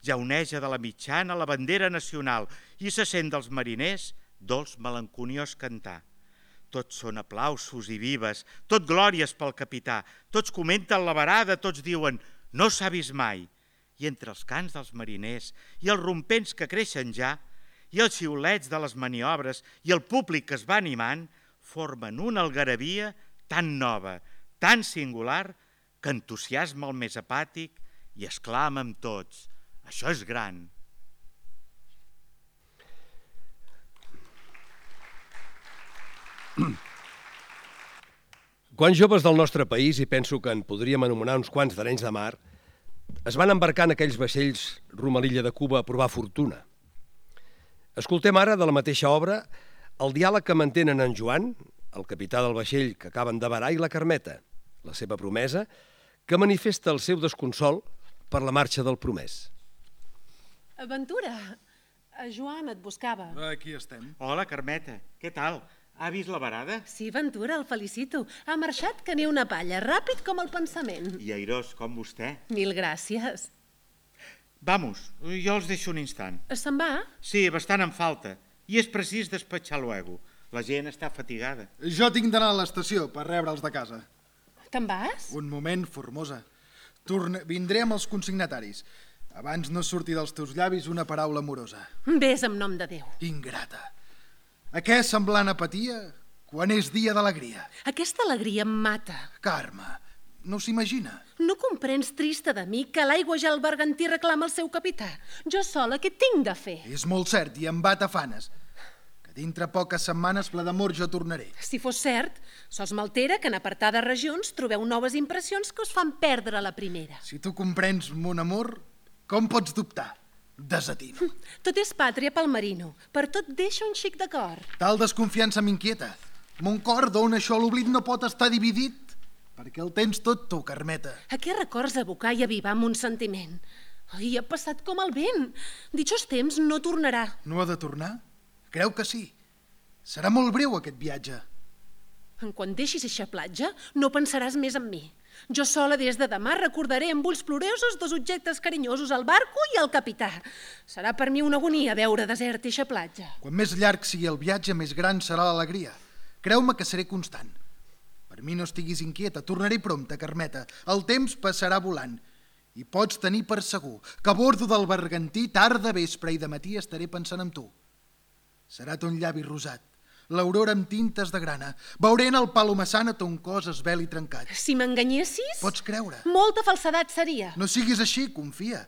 Ja oneja de la mitjana la bandera nacional i se sent dels mariners dolç melanconiós cantar. Tots són aplausos i vives, tot glòries pel capità, tots comenten la varada, tots diuen no s'ha vist mai. I entre els cants dels mariners i els rompents que creixen ja, i els xiulets de les maniobres i el públic que es va animant, formen una algarabia tan nova, tan singular, que entusiasma el més apàtic i exclama amb tots, això és gran. Quants joves del nostre país, i penso que en podríem anomenar uns quants d'Arenys de Mar, es van embarcar en aquells vaixells rumb a l'illa de Cuba a provar fortuna. Escoltem ara de la mateixa obra el diàleg que mantenen en Joan, el capità del vaixell que acaben de varar, i la Carmeta, la seva promesa, que manifesta el seu desconsol per la marxa del promès. Aventura, Joan et buscava. Aquí estem. Hola, Carmeta, què tal? Ha vist la varada? Sí, Ventura, el felicito. Ha marxat que ni una palla, ràpid com el pensament. I airós com vostè. Mil gràcies. Vamos, jo els deixo un instant. Se'n va? Sí, bastant en falta. I és precís despatxar luego. La gent està fatigada. Jo tinc d'anar a l'estació per rebre'ls de casa. Te'n vas? Un moment, Formosa. Torne... Vindré amb els consignataris. Abans no surti dels teus llavis una paraula amorosa. Ves en nom de Déu. Ingrata. A què semblant apatia quan és dia d'alegria? Aquesta alegria em mata. Carme, no s'imagina. No comprens, trista de mi, que l'aigua ja el bergantí reclama el seu capità. Jo sola què tinc de fer? És molt cert i em va tafanes. Que dintre poques setmanes ple d'amor jo tornaré. Si fos cert, sols m'altera que en apartades regions trobeu noves impressions que us fan perdre la primera. Si tu comprens mon amor, com pots dubtar? Desatino. Tot és pàtria pel marino. Per tot deixa un xic de cor. Tal desconfiança m'inquieta. Mon cor, d'on això l'oblit no pot estar dividit, perquè el tens tot tu, Carmeta. A què records evocar i avivar amb un sentiment? Ai, ha passat com el vent. Ditxos temps no tornarà. No ha de tornar? Creu que sí. Serà molt breu aquest viatge. En quan deixis eixa platja, no pensaràs més en mi. Jo sola des de demà recordaré amb ulls ploriosos dos objectes carinyosos, el barco i el capità. Serà per mi una agonia veure desert eixa platja. Quan més llarg sigui el viatge, més gran serà l'alegria. Creu-me que seré constant. Per mi no estiguis inquieta, tornaré prompte, Carmeta. El temps passarà volant. I pots tenir per segur que a bordo del bergantí, tarda, vespre i de matí estaré pensant en tu. Serà ton llavi rosat, l'aurora amb tintes de grana. Veuré en el palomassana ton cos esvelt i trencat. Si m'enganyessis... Pots creure. Molta falsedat seria. No siguis així, confia.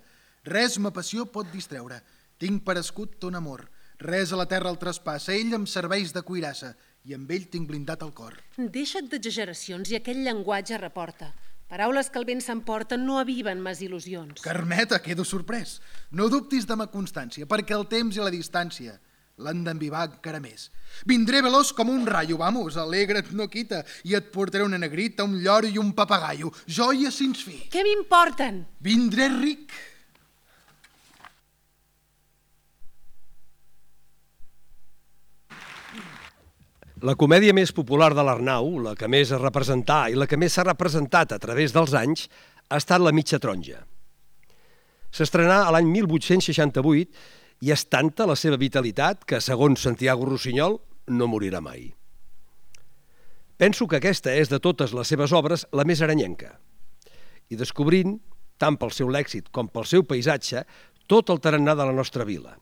Res ma passió pot distreure. Tinc per escut ton amor. Res a la terra el traspassa. Ell em serveix de cuirassa i amb ell tinc blindat el cor. Deixa't d'exageracions i aquell llenguatge reporta. Paraules que el vent s'emporta no aviven mes il·lusions. Carmeta, quedo sorprès. No dubtis de ma constància, perquè el temps i la distància l'han d'envivar encara més. Vindré veloç com un raio, vamos, alegra't, no quita, i et portaré una negrita, un lloro i un papagaio, joies sins fi. Què m'importen? Vindré ric. La comèdia més popular de l'Arnau, la que més es representà i la que més s'ha representat a través dels anys, ha estat La mitja taronja. S'estrenà a l'any mil vuit-cents seixanta-vuit i és tanta la seva vitalitat que, segons Santiago Rossinyol, no morirà mai. Penso que aquesta és de totes les seves obres la més aranyenca. I descobrint, tant pel seu lèxic com pel seu paisatge, tot el tarannà de la nostra vila.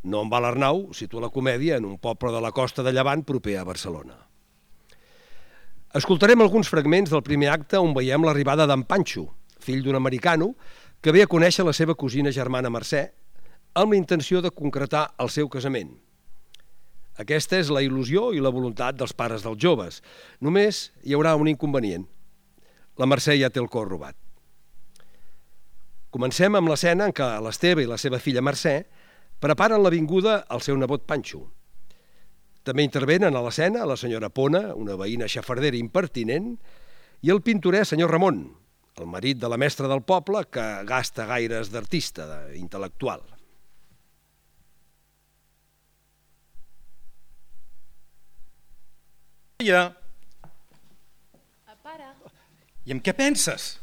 No en va l'Arnau, situa la comèdia en un poble de la costa de Llevant proper a Barcelona. Escoltarem alguns fragments del primer acte on veiem l'arribada d'en Panxo, fill d'un americano, que ve a conèixer la seva cosina germana Mercè, amb la intenció de concretar el seu casament. Aquesta és la il·lusió i la voluntat dels pares dels joves. Només hi haurà un inconvenient. La Mercè ja té el cor robat. Comencem amb l'escena en què l'Esteve i la seva filla Mercè preparen la vinguda al seu nebot Panxo. També intervenen a l'escena la senyora Pona, una veïna xafardera impertinent, i el pintorè senyor Ramon, el marit de la mestra del poble que gasta gaires d'artista, d'intel·lectual. Ja. Pare. I en què penses?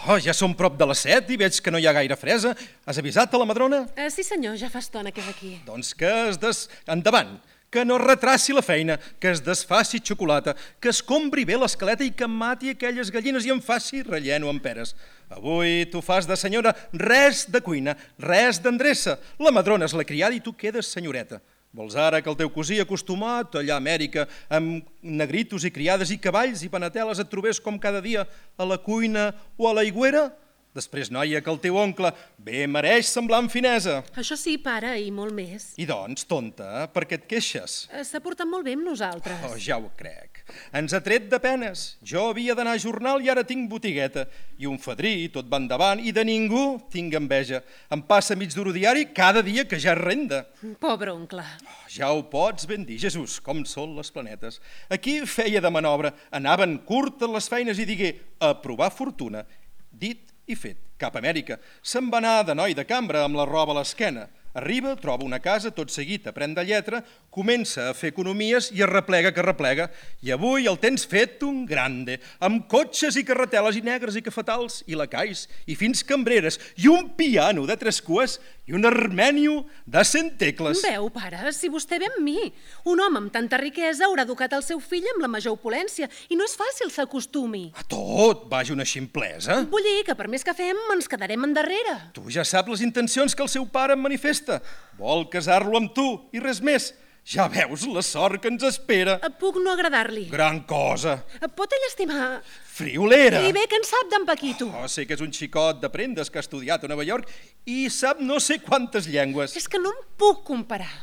Oh, ja som prop de les set i veig que no hi ha gaire fresa. Has avisat a la madrona? Uh, sí senyor, ja fa estona que és aquí. Doncs que es des... Endavant, que no retraci la feina, que es desfaci xocolata, que es compri bé l'escaleta i que mati aquelles gallines i en faci relleno amb peres. Avui tu fas de senyora res de cuina, res d'endreça. La madrona és la criada i tu quedes senyoreta. Vols ara que el teu cosí acostumat allà a Amèrica amb negritos i criades i cavalls i panateles et trobés com cada dia a la cuina o a l'aigüera? Després, noia, que el teu oncle bé mereix semblar amb finesa. Això sí, pare, i molt més. I doncs, tonta, per què et queixes? S'ha portat molt bé amb nosaltres. Oh, ja ho crec. Ens ha tret de penes. Jo havia d'anar a jornal i ara tinc botigueta. I un fadrí, tot va endavant, i de ningú tinc enveja. Em passa mig duro diari cada dia que ja és renda. Pobre oncle. Oh, ja ho pots ben dir, Jesús, com són les planetes. Aquí feia de manobra, anaven curtes les feines i digué a provar fortuna. Dit i fet, cap a Amèrica. Se'n va anar de noi de cambra amb la roba a l'esquena. Arriba, troba una casa, tot seguit aprèn de lletra, comença a fer economies i es replega que replega. I avui el tens fet un grande, amb cotxes i carreteles i negres i cafetals i lacais i fins cambreres i un piano de tres cues i un armènio de cent tecles. Veu, pare, si vostè ve amb mi. Un home amb tanta riquesa haurà educat el seu fill amb la major opulència i no és fàcil s'acostumi. A tot, vaja una ximplesa. Vull dir que per més que fem ens quedarem endarrere. Tu ja saps les intencions que el seu pare em manifesta. Vol casar-lo amb tu i res més. Ja veus la sort que ens espera. Puc no agradar-li. Gran cosa. Pot ell estimar... Friolera. I bé que en sap d'en Paquito. Oh, sé que és un xicot de prendes que ha estudiat a Nova York i sap no sé quantes llengües. És que no em puc comparar.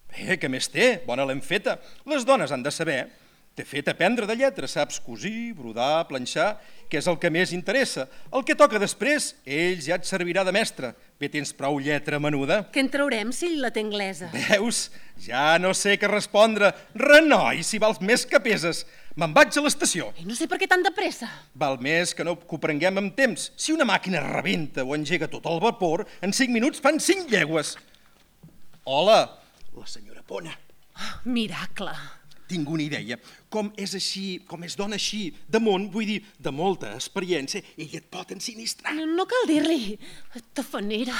Bé, què més té? Bona l'hem feta. Les dones han de saber. T'he fet aprendre de lletra. Saps cosir, brodar, planxar, que és el que més interessa. El que toca després, ell ja et servirà de mestre. Bé, tens prou lletra menuda. Què en traurem si ell la té anglesa? Veus? Ja no sé què respondre. Renoi, si vals més que peses. Me'n vaig a l'estació. I no sé per què tan de pressa. Val més que no que ho prenguem amb temps. Si una màquina rebenta o engega tot el vapor, en cinc minuts fan cinc llegües. Hola, la senyora Pona. Oh, miracle. Tinc una idea. Com és així, com és dona així, de món, vull dir, de molta experiència, ella et pot ensinistrar. No, no cal dir-li. Tafanera.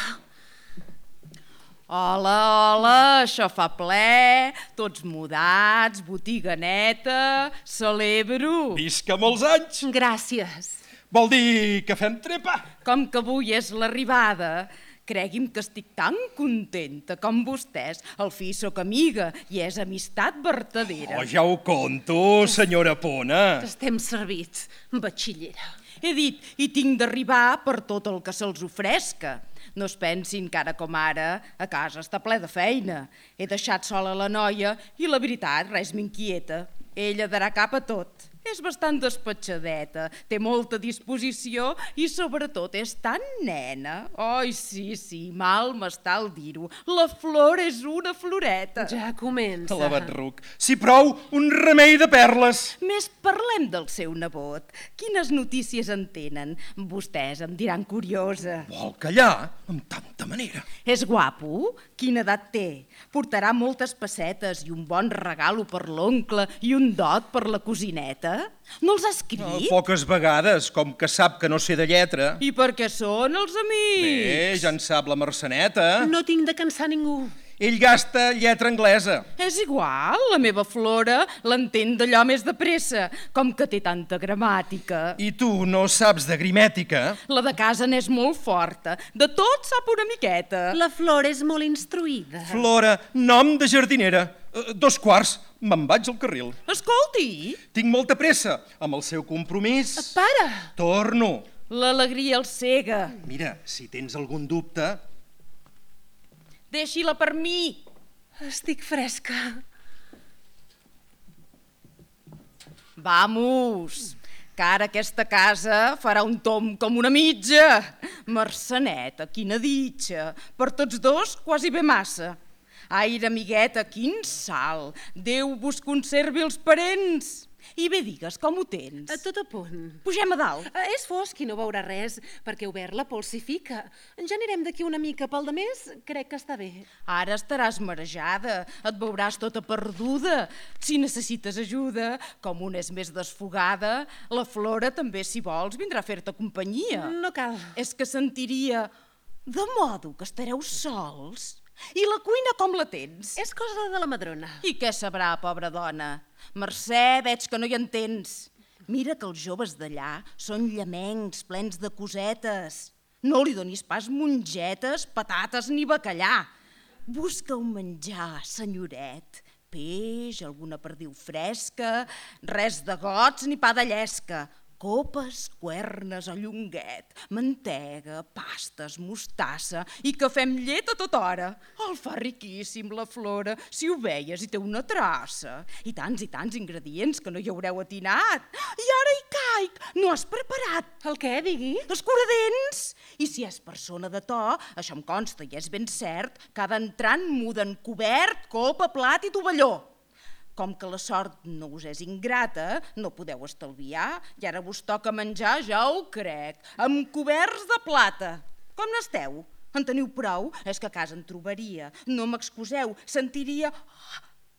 Hola, hola, això fa ple, tots mudats, botiga neta, celebro. Visca molts anys. Gràcies. Vol dir que fem trepa? Com que avui és l'arribada, cregui'm que estic tan contenta com vostès. Al fi sóc amiga i és amistat vertadera. Oh, ja ho conto, senyora Pona. Estem servits, batxillera. He dit, i tinc d'arribar per tot el que se'ls ofresca. No es pensin que ara com ara a casa està ple de feina. He deixat sola la noia i la veritat res m'inquieta. Ella darà cap a tot. És bastant despatxadeta, té molta disposició i sobretot és tan nena. Ai, sí, sí, mal m'està el dir-ho. La flor és una floreta. Ja comença. La Batruc. Si prou, un remei de perles. Més parlem del seu nebot. Quines notícies en tenen? Vostès em diran curiosa. Vol callar? Amb tanta manera. És guapo? Quina edat té? Portarà moltes pessetes i un bon regalo per l'oncle i un dot per la cosineta? No els ha escrit? Oh, poques vegades, com que sap que no sé de lletra. I per què són els amics? Bé, ja en sap la Merceneta. No tinc de cansar ningú. Ell gasta lletra anglesa. És igual, la meva Flora l'entén d'allò més de pressa, com que té tanta gramàtica. I tu no saps de grimètica? La de casa n'és molt forta, de tot sap una miqueta. La Flor és molt instruïda. Flora, nom de jardinera. Uh, dos quarts, me'n vaig al carril. Escolti! Tinc molta pressa, amb el seu compromís. Para! Torno. L'alegria el cega. Mira, si tens algun dubte... Deixi-la per mi. Estic fresca. Vamos, que ara aquesta casa farà un tom com una mitja. Merceneta, quina ditxa. Per tots dos, quasi bé massa. Aire, amigueta, quin salt. Déu vos conservi els parents. I bé, digues, com ho tens? A tot a punt. Pugem a dalt. Uh, és fosc i no veurà res, perquè obert la pols s'hi fica. Ja anirem d'aquí una mica, pel de més, crec que està bé. Ara estaràs marejada, et veuràs tota perduda. Si necessites ajuda, com una és més desfogada, la Flora també, si vols, vindrà a fer-te companyia. No cal. És que sentiria... De modo que estareu sols? I la cuina com la tens? És cosa de la madrona. I què sabrà, pobra dona? Mercè, veig que no hi entens. Mira que els joves d'allà són llamencs, plens de cosetes. No li donis pas mongetes, patates ni bacallà. Busca un menjar, senyoret. Peix, alguna perdiu fresca, res de gots ni pa de llesca. Copes, cuernes o llonguet, mantega, pastes, mostassa i cafè amb llet a tota hora. El fa riquíssim, la Flora, si ho veies i té una traça. I tants i tants ingredients que no hi haureu atinat. I ara hi caic, no has preparat. El què, digui? Escuradents. I si és persona de to, això em consta i és ben cert, cada entrant muden cobert, copa, plat i tovalló. Com que la sort no us és ingrata, no podeu estalviar, i ara vos toca menjar, ja ho crec, amb coberts de plata. Com n'esteu? En teniu prou? És que a casa en trobaria. No m'excuseu, sentiria...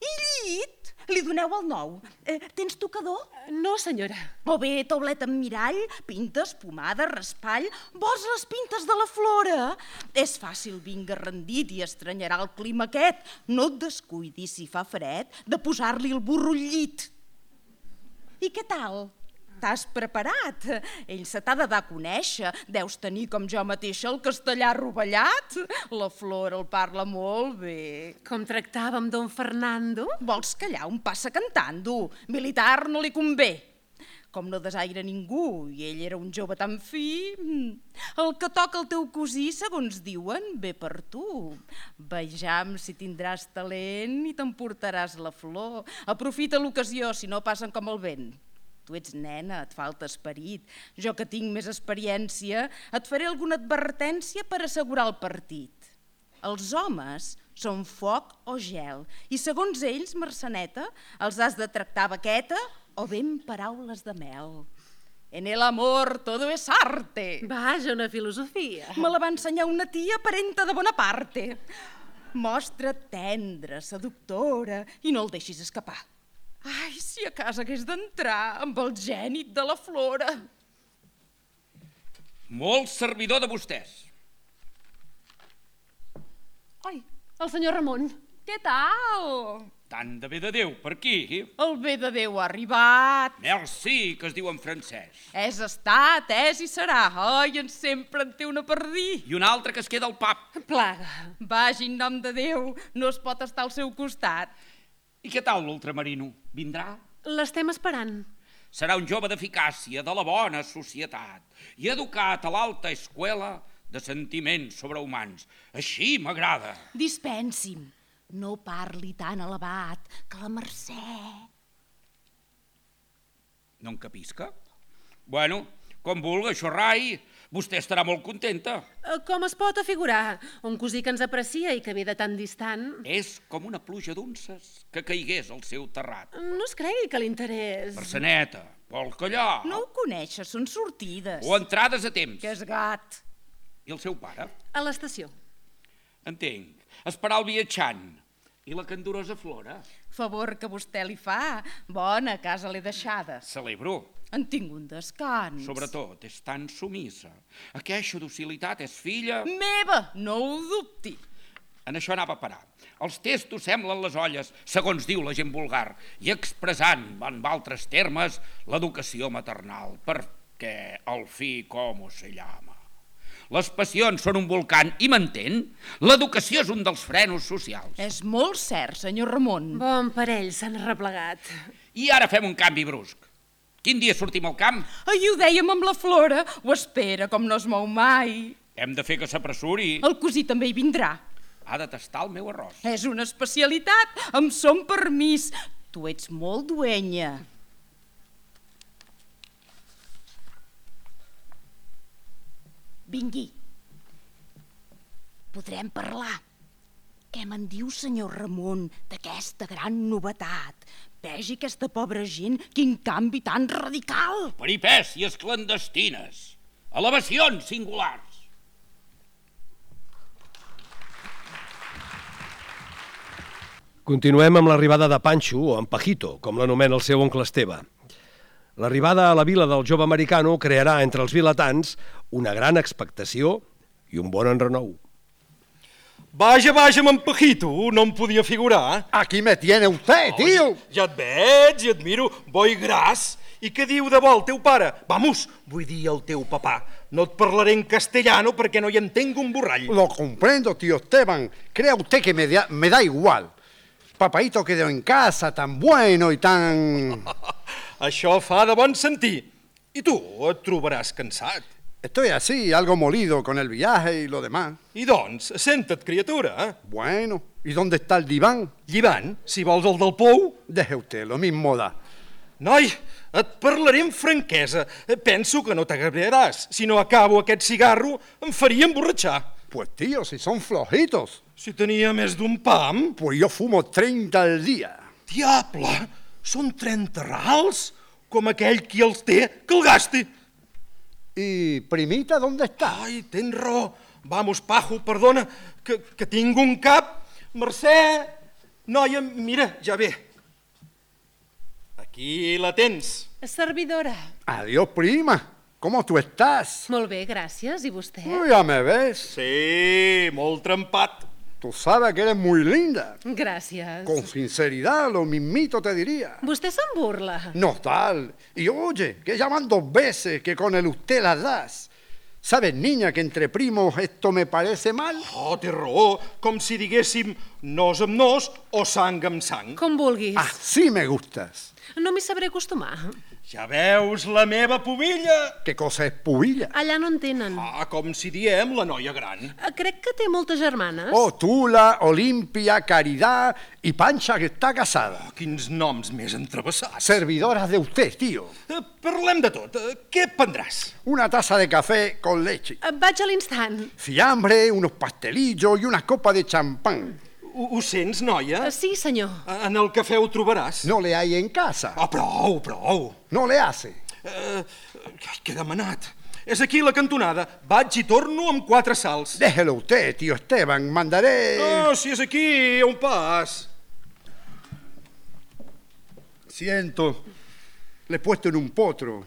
I llit? Li doneu el nou. Eh, tens tocador? No, senyora. O bé taulet amb mirall, pintes, pomada, raspall... Vols les pintes de la Flora? És fàcil, vinga rendit i estranyarà el clima aquest. No et descuidis, si fa fred, de posar-li el burro al llit. I què tal? T'has preparat? Ell se t'ha de dar a conèixer. Deus tenir, com jo mateixa, el castellà rovellat. La Flora el parla molt bé. Com tractàvem don Fernando? Vols callar un passa cantant-ho? Militar no li convé. Com no desaire ningú, i ell era un jove tan fi... El que toca el teu cosí, segons diuen, ve per tu. Vejam si tindràs talent i t'emportaràs la flor. Aprofita l'ocasió, si no passen com el vent. Tu ets nena, et falta esperit. Jo que tinc més experiència, et faré alguna advertència per assegurar el partit. Els homes són foc o gel, i segons ells, Marceneta, els has de tractar baqueta o bé amb paraules de mel. En el amor todo es arte. Vaja, una filosofia. Me la va ensenyar una tia parenta de Bonaparte. Mostra't tendra, seductora, i no el deixis escapar. Ai, si a casa hagués d'entrar amb el gènit de la Flora. Molt servidor de vostès. Ai, el senyor Ramon. Què tal? Tant de bé de Déu, per aquí. El bé de Déu ha arribat. Merci, que es diu en francès. És estat, és i serà. Ai, en sempre en té una per dir. I un altre que es queda al pap. Plaga. Vagi, en nom de Déu, no es pot estar al seu costat. I què tal l'ultramarino? Vindrà? L'estem esperant. Serà un jove d'eficàcia, de la bona societat, i educat a l'alta escuela de sentiments sobrehumans. Així m'agrada. Dispensi'm, no parli tan elevat, que la Mercè... No en capisca? Bueno, com vulga, això rai, vostè estarà molt contenta. Com es pot afigurar? Un cosí que ens aprecia i que ve de tan distant... És com una pluja d'unces que caigués al seu terrat. No es cregui que l'interès... Marceneta, vol callar? No ho coneixes, són sortides. O entrades a temps. Que és gat. I el seu pare? A l'estació. Entenc. Esperar el viatjant. I la candorosa Flora? Favor que vostè li fa. Bona casa l'he deixada. Celebro. En tinc un descans. Sobretot, és tan sumissa. Aquesta docilitat és filla... Meva, no ho dubti. En això anava a parar. Els testos semblen les olles, segons diu la gent vulgar, i expressant, en altres termes, l'educació maternal, perquè el fi com se llama. Les passions són un volcán i m'entén? L'educació és un dels frenos socials. És molt cert, senyor Ramon. Bon parell, s'han replegat. I ara fem un canvi brusc. Quin dia sortim al camp? Ai, ho dèiem amb la Flora. Ho espera, com no es mou mai. Hem de fer que s'apressuri. El cosí també hi vindrà. Ha de tastar el meu arròs. És una especialitat, amb son permís. Tu ets molt duenya. Vingui. Podrem parlar. Què me'n diu, senyor Ramon, d'aquesta gran novetat? Vegi aquesta pobra gent, quin canvi tan radical. Peripècies clandestines, elevacions singulars. Continuem amb l'arribada de Panxo, o en Pajito, com l'anomena el seu oncle Esteve. L'arribada a la vila del jove americano crearà entre els vilatans una gran expectació i un bon enrenou. Vaja, vaja, amb en Pajito, no em podia figurar. Aquí me tiene usted, tío. Oh, ja et veig i et miro, bo i gras. I què diu de bo el teu pare? Vamos, vull dir el teu papà. No et parlaré en castellano perquè no hi entenc un borrall. Lo comprendo, tío Esteban. Crea usted que me da, me da igual. Papaito quedó en casa, tan bueno y tan... Això fa de bon sentir. I tu et trobaràs cansat. Estoy así, algo molido con el viaje y lo demás. I doncs, senta't, criatura. Bueno, ¿y dónde está el diván? Llivant, si vols el del pou. Deje usted, lo mismo da. Noi, et parlaré amb franquesa. Penso que no t'agradaràs. Si no acabo aquest cigarro, em faria emborratxar. Pues tío, si son flojitos. Si tenia més d'un pam... Pues yo fumo treinta al día. Diable, són trenta rals? Com aquell qui els té, que el gasti. ¿Y primita dónde está? Ai, tens raó. Vamos, Pajo, perdona, que, que tinc un cap. Mercè, noia, mira, ja ve. Aquí la tens. Servidora. Adiós, prima. ¿Cómo tú estás? Molt bé, gràcies. I vostè? Oh, ya me ves. Sí, molt trempat. Tú sabes que eres muy linda. Gràcies. Con sinceridad, lo mismito te diría. Vostè se'n burla. No tal. Y oye, que llaman dos veces que con el usted las das. ¿Sabes, niña, que entre primos esto me parece mal? Oh, té raó, com si diguéssim nos amb nos o sang amb sang. Com vulguis. Así me gustas. No m'hi sabré acostumar. Ja veus la meva pubilla? ¿Qué cosa es pubilla? Allà no en tenen. Ah, com si diem la noia gran. Crec que té moltes germanes. Oh, Tula, Olimpia, Caridad y Pancha, que está casada. Oh, quins noms més entrevessats. Servidoras de usted, tío. Eh, parlem de tot. Eh, què prendràs? Una taza de café con leche. Vaig a l'instant. Fiambre, unos pastelillos y una copa de champán. Ho, ho sents, noia? Sí, senyor. En el cafè ho trobaràs. No le hay en casa. Oh, prou, prou. No le hace. Eh, què he demanat? És aquí la cantonada. Vaig i torno amb quatre salts. Déjelo usted, tío Esteban. Mandaré... No, si és aquí, a un pas. Siento. Le he puesto en un potro.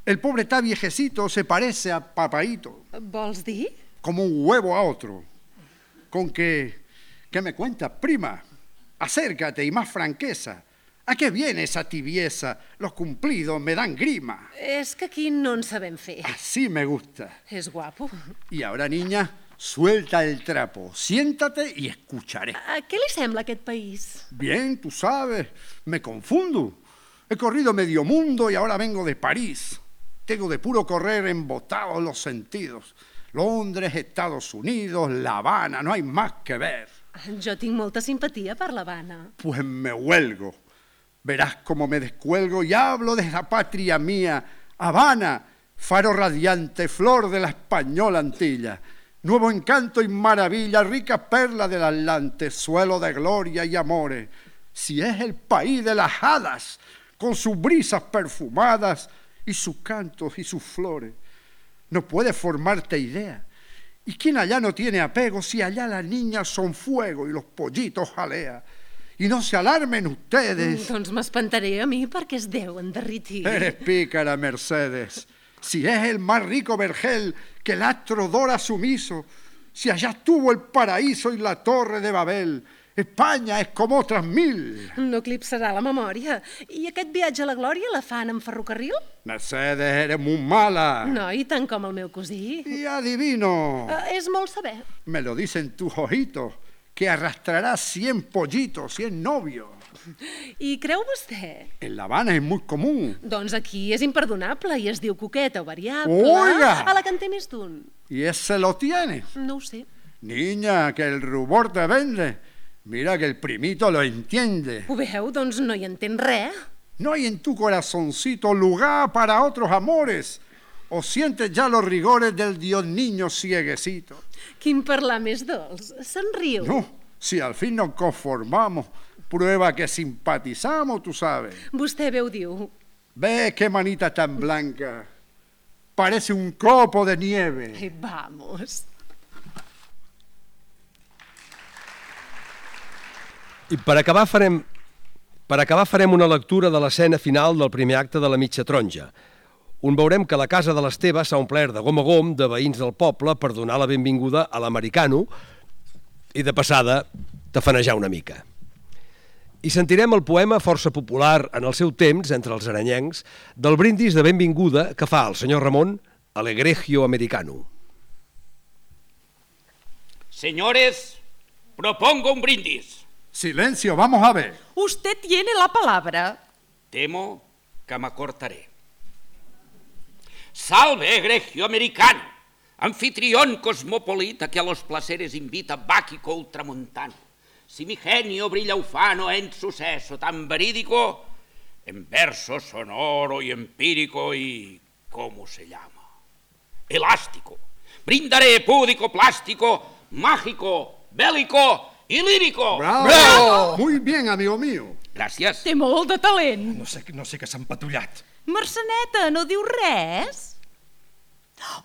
El pobre está viejecito, se parece a papaíto. Vols dir? Como un huevo a otro. Con que... ¿Qué me cuentas, prima? Acércate y más franqueza. ¿A qué viene esa tibieza? Los cumplidos me dan grima. És que aquí no en sabem fer. Así me gusta. És guapo. Y ahora, niña, suelta el trapo. Siéntate y escucharé. A què li sembla aquest país? Bien, tú sabes, me confundo. He corrido medio mundo y ahora vengo de París. Tengo de puro correr embotados los sentidos. Londres, Estados Unidos, La Habana, no hay más que ver. Jo tinc molta simpatia per l'Havana. Pues me huelgo. Verás cómo me descuelgo y hablo de la patria mía. Habana, faro radiante, flor de la española Antilla. Nuevo encanto y maravilla, rica perla del Atlante, suelo de gloria y amores. Si es el país de las hadas, con sus brisas perfumadas y sus cantos y sus flores. No puedes formarte idea. ¿Y quién allá no tiene apego si allá las niñas son fuego y los pollitos jalea? Y no se alarmen ustedes. Doncs m'espantaré a mi perquè es deuen derritir. Eres pícara, Mercedes. Si es el más rico vergel que el astro dora sumiso, si allá estuvo el paraíso y la torre de Babel, Espanya és com otras mil. No eclipsarà la memòria. I aquest viatge a la glòria la fan en ferrocarril? Mercedes, eres muy mala. No, i tant com el meu cosí. Y adivino. Uh, és molt saber. Me lo dicen tus ojitos, que arrastrarás cien pollitos, cien novios. I creu vostè? En La Habana es muy común. Doncs aquí és imperdonable i es diu coqueta o variable. Oiga! A la que en té més d'un. ¿Y ese lo tienes? No ho sé. Niña, que el rubor te vende. Mira que el primito lo entiende. Ho veu? Doncs no hi entén res. ¿No hay en tu corazoncito lugar para otros amores? ¿O sientes ya los rigores del Dios niño cieguecito? Quin parlar més dolç. Se'n riu. No, si al fin nos conformamos, prueba que simpatizamos, tú sabes. Vostè bé ho diu. Ve qué manita tan blanca. Parece un copo de nieve. Ai, vamos. I per acabar farem, per acabar farem una lectura de l'escena final del primer acte de La mitja taronja, on veurem que la casa de l'Esteve s'ha omplert de gom a gom de veïns del poble per donar la benvinguda a l'americano i de passada tafanejar una mica. I sentirem el poema força popular en el seu temps, entre els aranyencs, del brindis de benvinguda que fa el senyor Ramon a l'egregio americano. Señores, propongo un brindis. Silencio, vamos a ver. Usted tiene la palabra. Temo que me cortaré. Salve, egregio americano, anfitrión cosmopolita que a los placeres invita Báquico ultramontano. Si mi genio brilla ufano en suceso tan verídico, en verso sonoro y empírico y... ¿cómo se llama? Elástico. Brindaré púdico, plástico, mágico, bélico y lírico. ¡Bravo! ¡Bravo! Muy bien, amigo mío. Gràcies. Té molt de talent. No sé, no sé què s'ha empatullat. Merceneta, no diu res?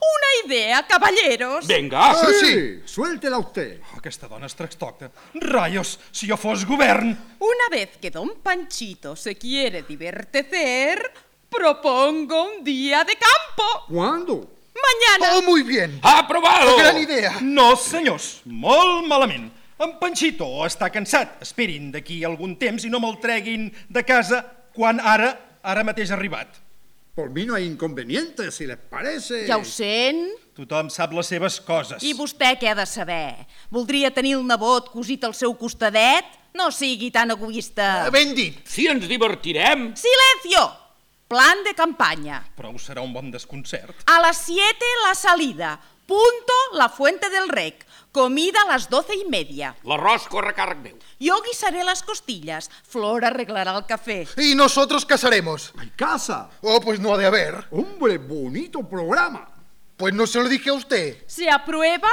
Una idea, caballeros. Venga. Ah, sí, suéltela usted. Oh, aquesta dona es trastorna. Rayos, si jo fos govern... Una vez que don Panchito se quiere divertir, propongo un día de campo. ¿Cuándo? Mañana. Oh, muy bien. Aprobado. Gran idea. No, senyors, molt malament. En Panchito està cansat. Esperin d'aquí algun temps i no me'l treguin de casa quan ara, ara mateix ha arribat. Por mí no hay inconveniente, si les parece. Ja ho sent. Tothom sap les seves coses. I vostè què ha de saber? Voldria tenir el nebot cosit al seu costadet? No sigui tan egoista. Ben dit. Si ens divertirem. Silencio! Plan de campaña. Però serà un bon desconcert. A las siete la salida. Punto la fuente del rec. Comida a las doce y media. L'arròs corre a càrrec meu. Yo guisaré las costillas. Flor arreglará el café. ¿Y nosotros casaremos? ¿Hay casa? Oh, pues no ha de haber. Hombre, bonito programa. Pues no se lo dije a usted. ¿Se aprueba?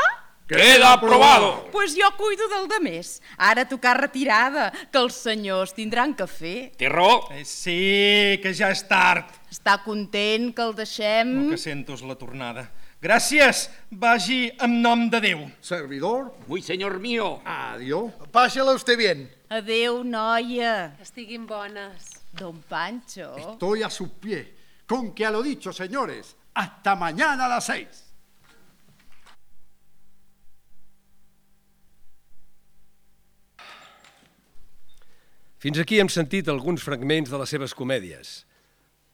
Queda aprobado. Pues jo cuido del de més. Ara tocar retirada, que els senyors tindran cafè. Té raó. Eh, sí, que ja és tard. Està content que el deixem? El que sento és la tornada. Gràcies, vagi en nom de Déu. Servidor, Muy señor mío. adiós. Pásela usted bien. Adéu, noia. Que estiguin bones. Don Pancho. Estoy a sus pies. Con que a lo dicho, señores, hasta mañana a las seis. Fins aquí hem sentit alguns fragments de les seves comèdies.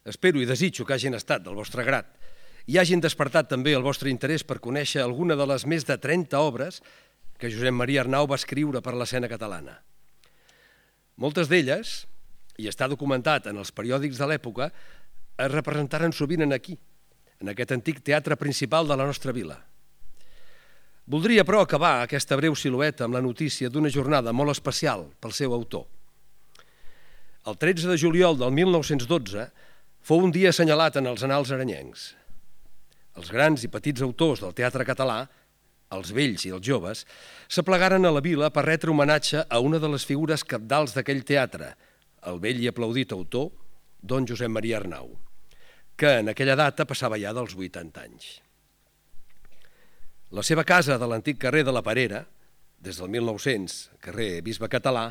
Espero i desitjo que hagin estat del vostre grat i hagin despertat també el vostre interès per conèixer alguna de les més de trenta obres que Josep Maria Arnau va escriure per l'escena catalana. Moltes d'elles, i està documentat en els periòdics de l'època, es representaren sovint en aquí, en aquest antic teatre principal de la nostra vila. Voldria, però, acabar aquesta breu silueta amb la notícia d'una jornada molt especial pel seu autor. El tretze de juliol del mil nou-cents dotze fou un dia assenyalat en els annals aranyencs. Els grans i petits autors del teatre català, els vells i els joves, s'aplegaren a la vila per retre homenatge a una de les figures cabdals d'aquell teatre, el vell i aplaudit autor, don Josep Maria Arnau, que en aquella data passava ja dels vuitanta anys. La seva casa de l'antic carrer de la Parera, des del mil nou-cents, carrer Bisbe Català,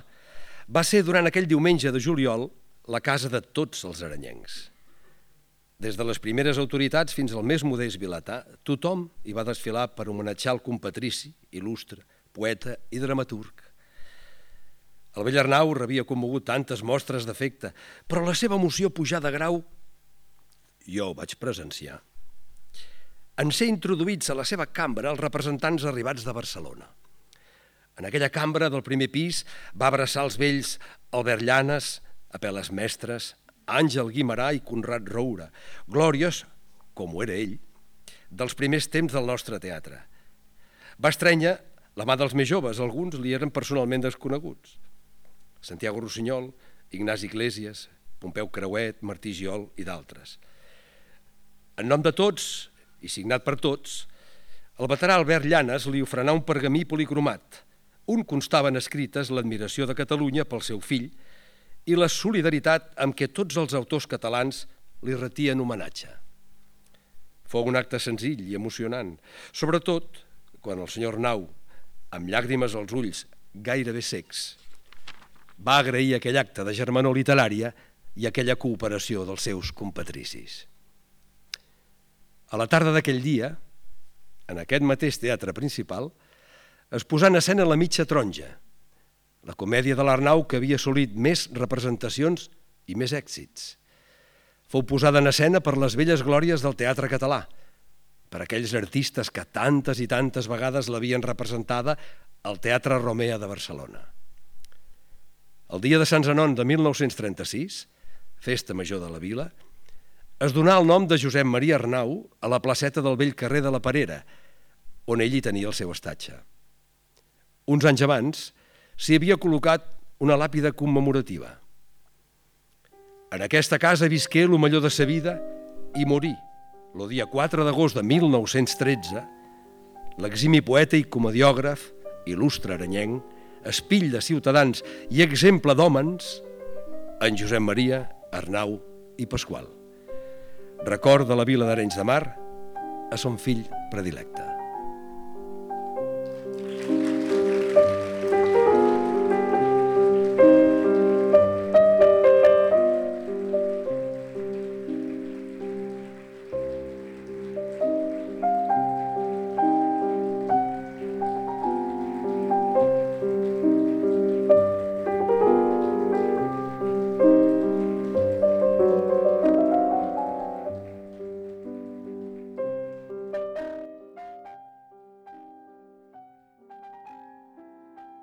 va ser durant aquell diumenge de juliol la casa de tots els aranyencs. Des de les primeres autoritats fins al més modest vilatà, tothom hi va desfilar per homenatjar el compatrici, il·lustre, poeta i dramaturg. El vell Arnau rebia commogut tantes mostres d'afecte, però la seva emoció pujà de grau, jo ho vaig presenciar, en ser introduïts a la seva cambra els representants arribats de Barcelona. En aquella cambra del primer pis va abraçar els vells Albert Llanes, Apel·les Mestres, Àngel Guimarà i Conrad Roura, glòries, com ho era ell, dels primers temps del nostre teatre. Va estrènyer la mà dels més joves, alguns li eren personalment desconeguts. Santiago Rossinyol, Ignasi Iglesias, Pompeu Creuet, Martí Giol i d'altres. En nom de tots, i signat per tots, el veterà Albert Llanes li ofrenà un pergamí policromat. Un constaven escrites l'admiració de Catalunya pel seu fill i la solidaritat amb què tots els autors catalans li retien homenatge. Fou un acte senzill i emocionant, sobretot quan el senyor Arnau, amb llàgrimes als ulls gairebé secs, va agrair aquell acte de germanor literària i aquella cooperació dels seus compatricis. A la tarda d'aquell dia, en aquest mateix teatre principal, es posà en escena La mitja taronja, la comèdia de l'Arnau que havia assolit més representacions i més èxits. Fou posada en escena per les velles glòries del teatre català, per aquells artistes que tantes i tantes vegades l'havien representada al Teatre Romea de Barcelona. El dia de Sant Zenon de mil nou-cents trenta-sis, festa major de la vila, es donà el nom de Josep Maria Arnau a la placeta del vell carrer de la Parera, on ell hi tenia el seu estatge. Uns anys abans s'hi havia col·locat una làpida commemorativa. En aquesta casa visqué el millor de sa vida i morí, el dia quatre d'agost de mil nou-cents tretze, l'eximi poeta i comediògraf, il·lustre aranyenc, espill de ciutadans i exemple d'hòmens, en Josep Maria Arnau i Pasqual. Record de la vila d'Arenys de Mar, a son fill predilecte.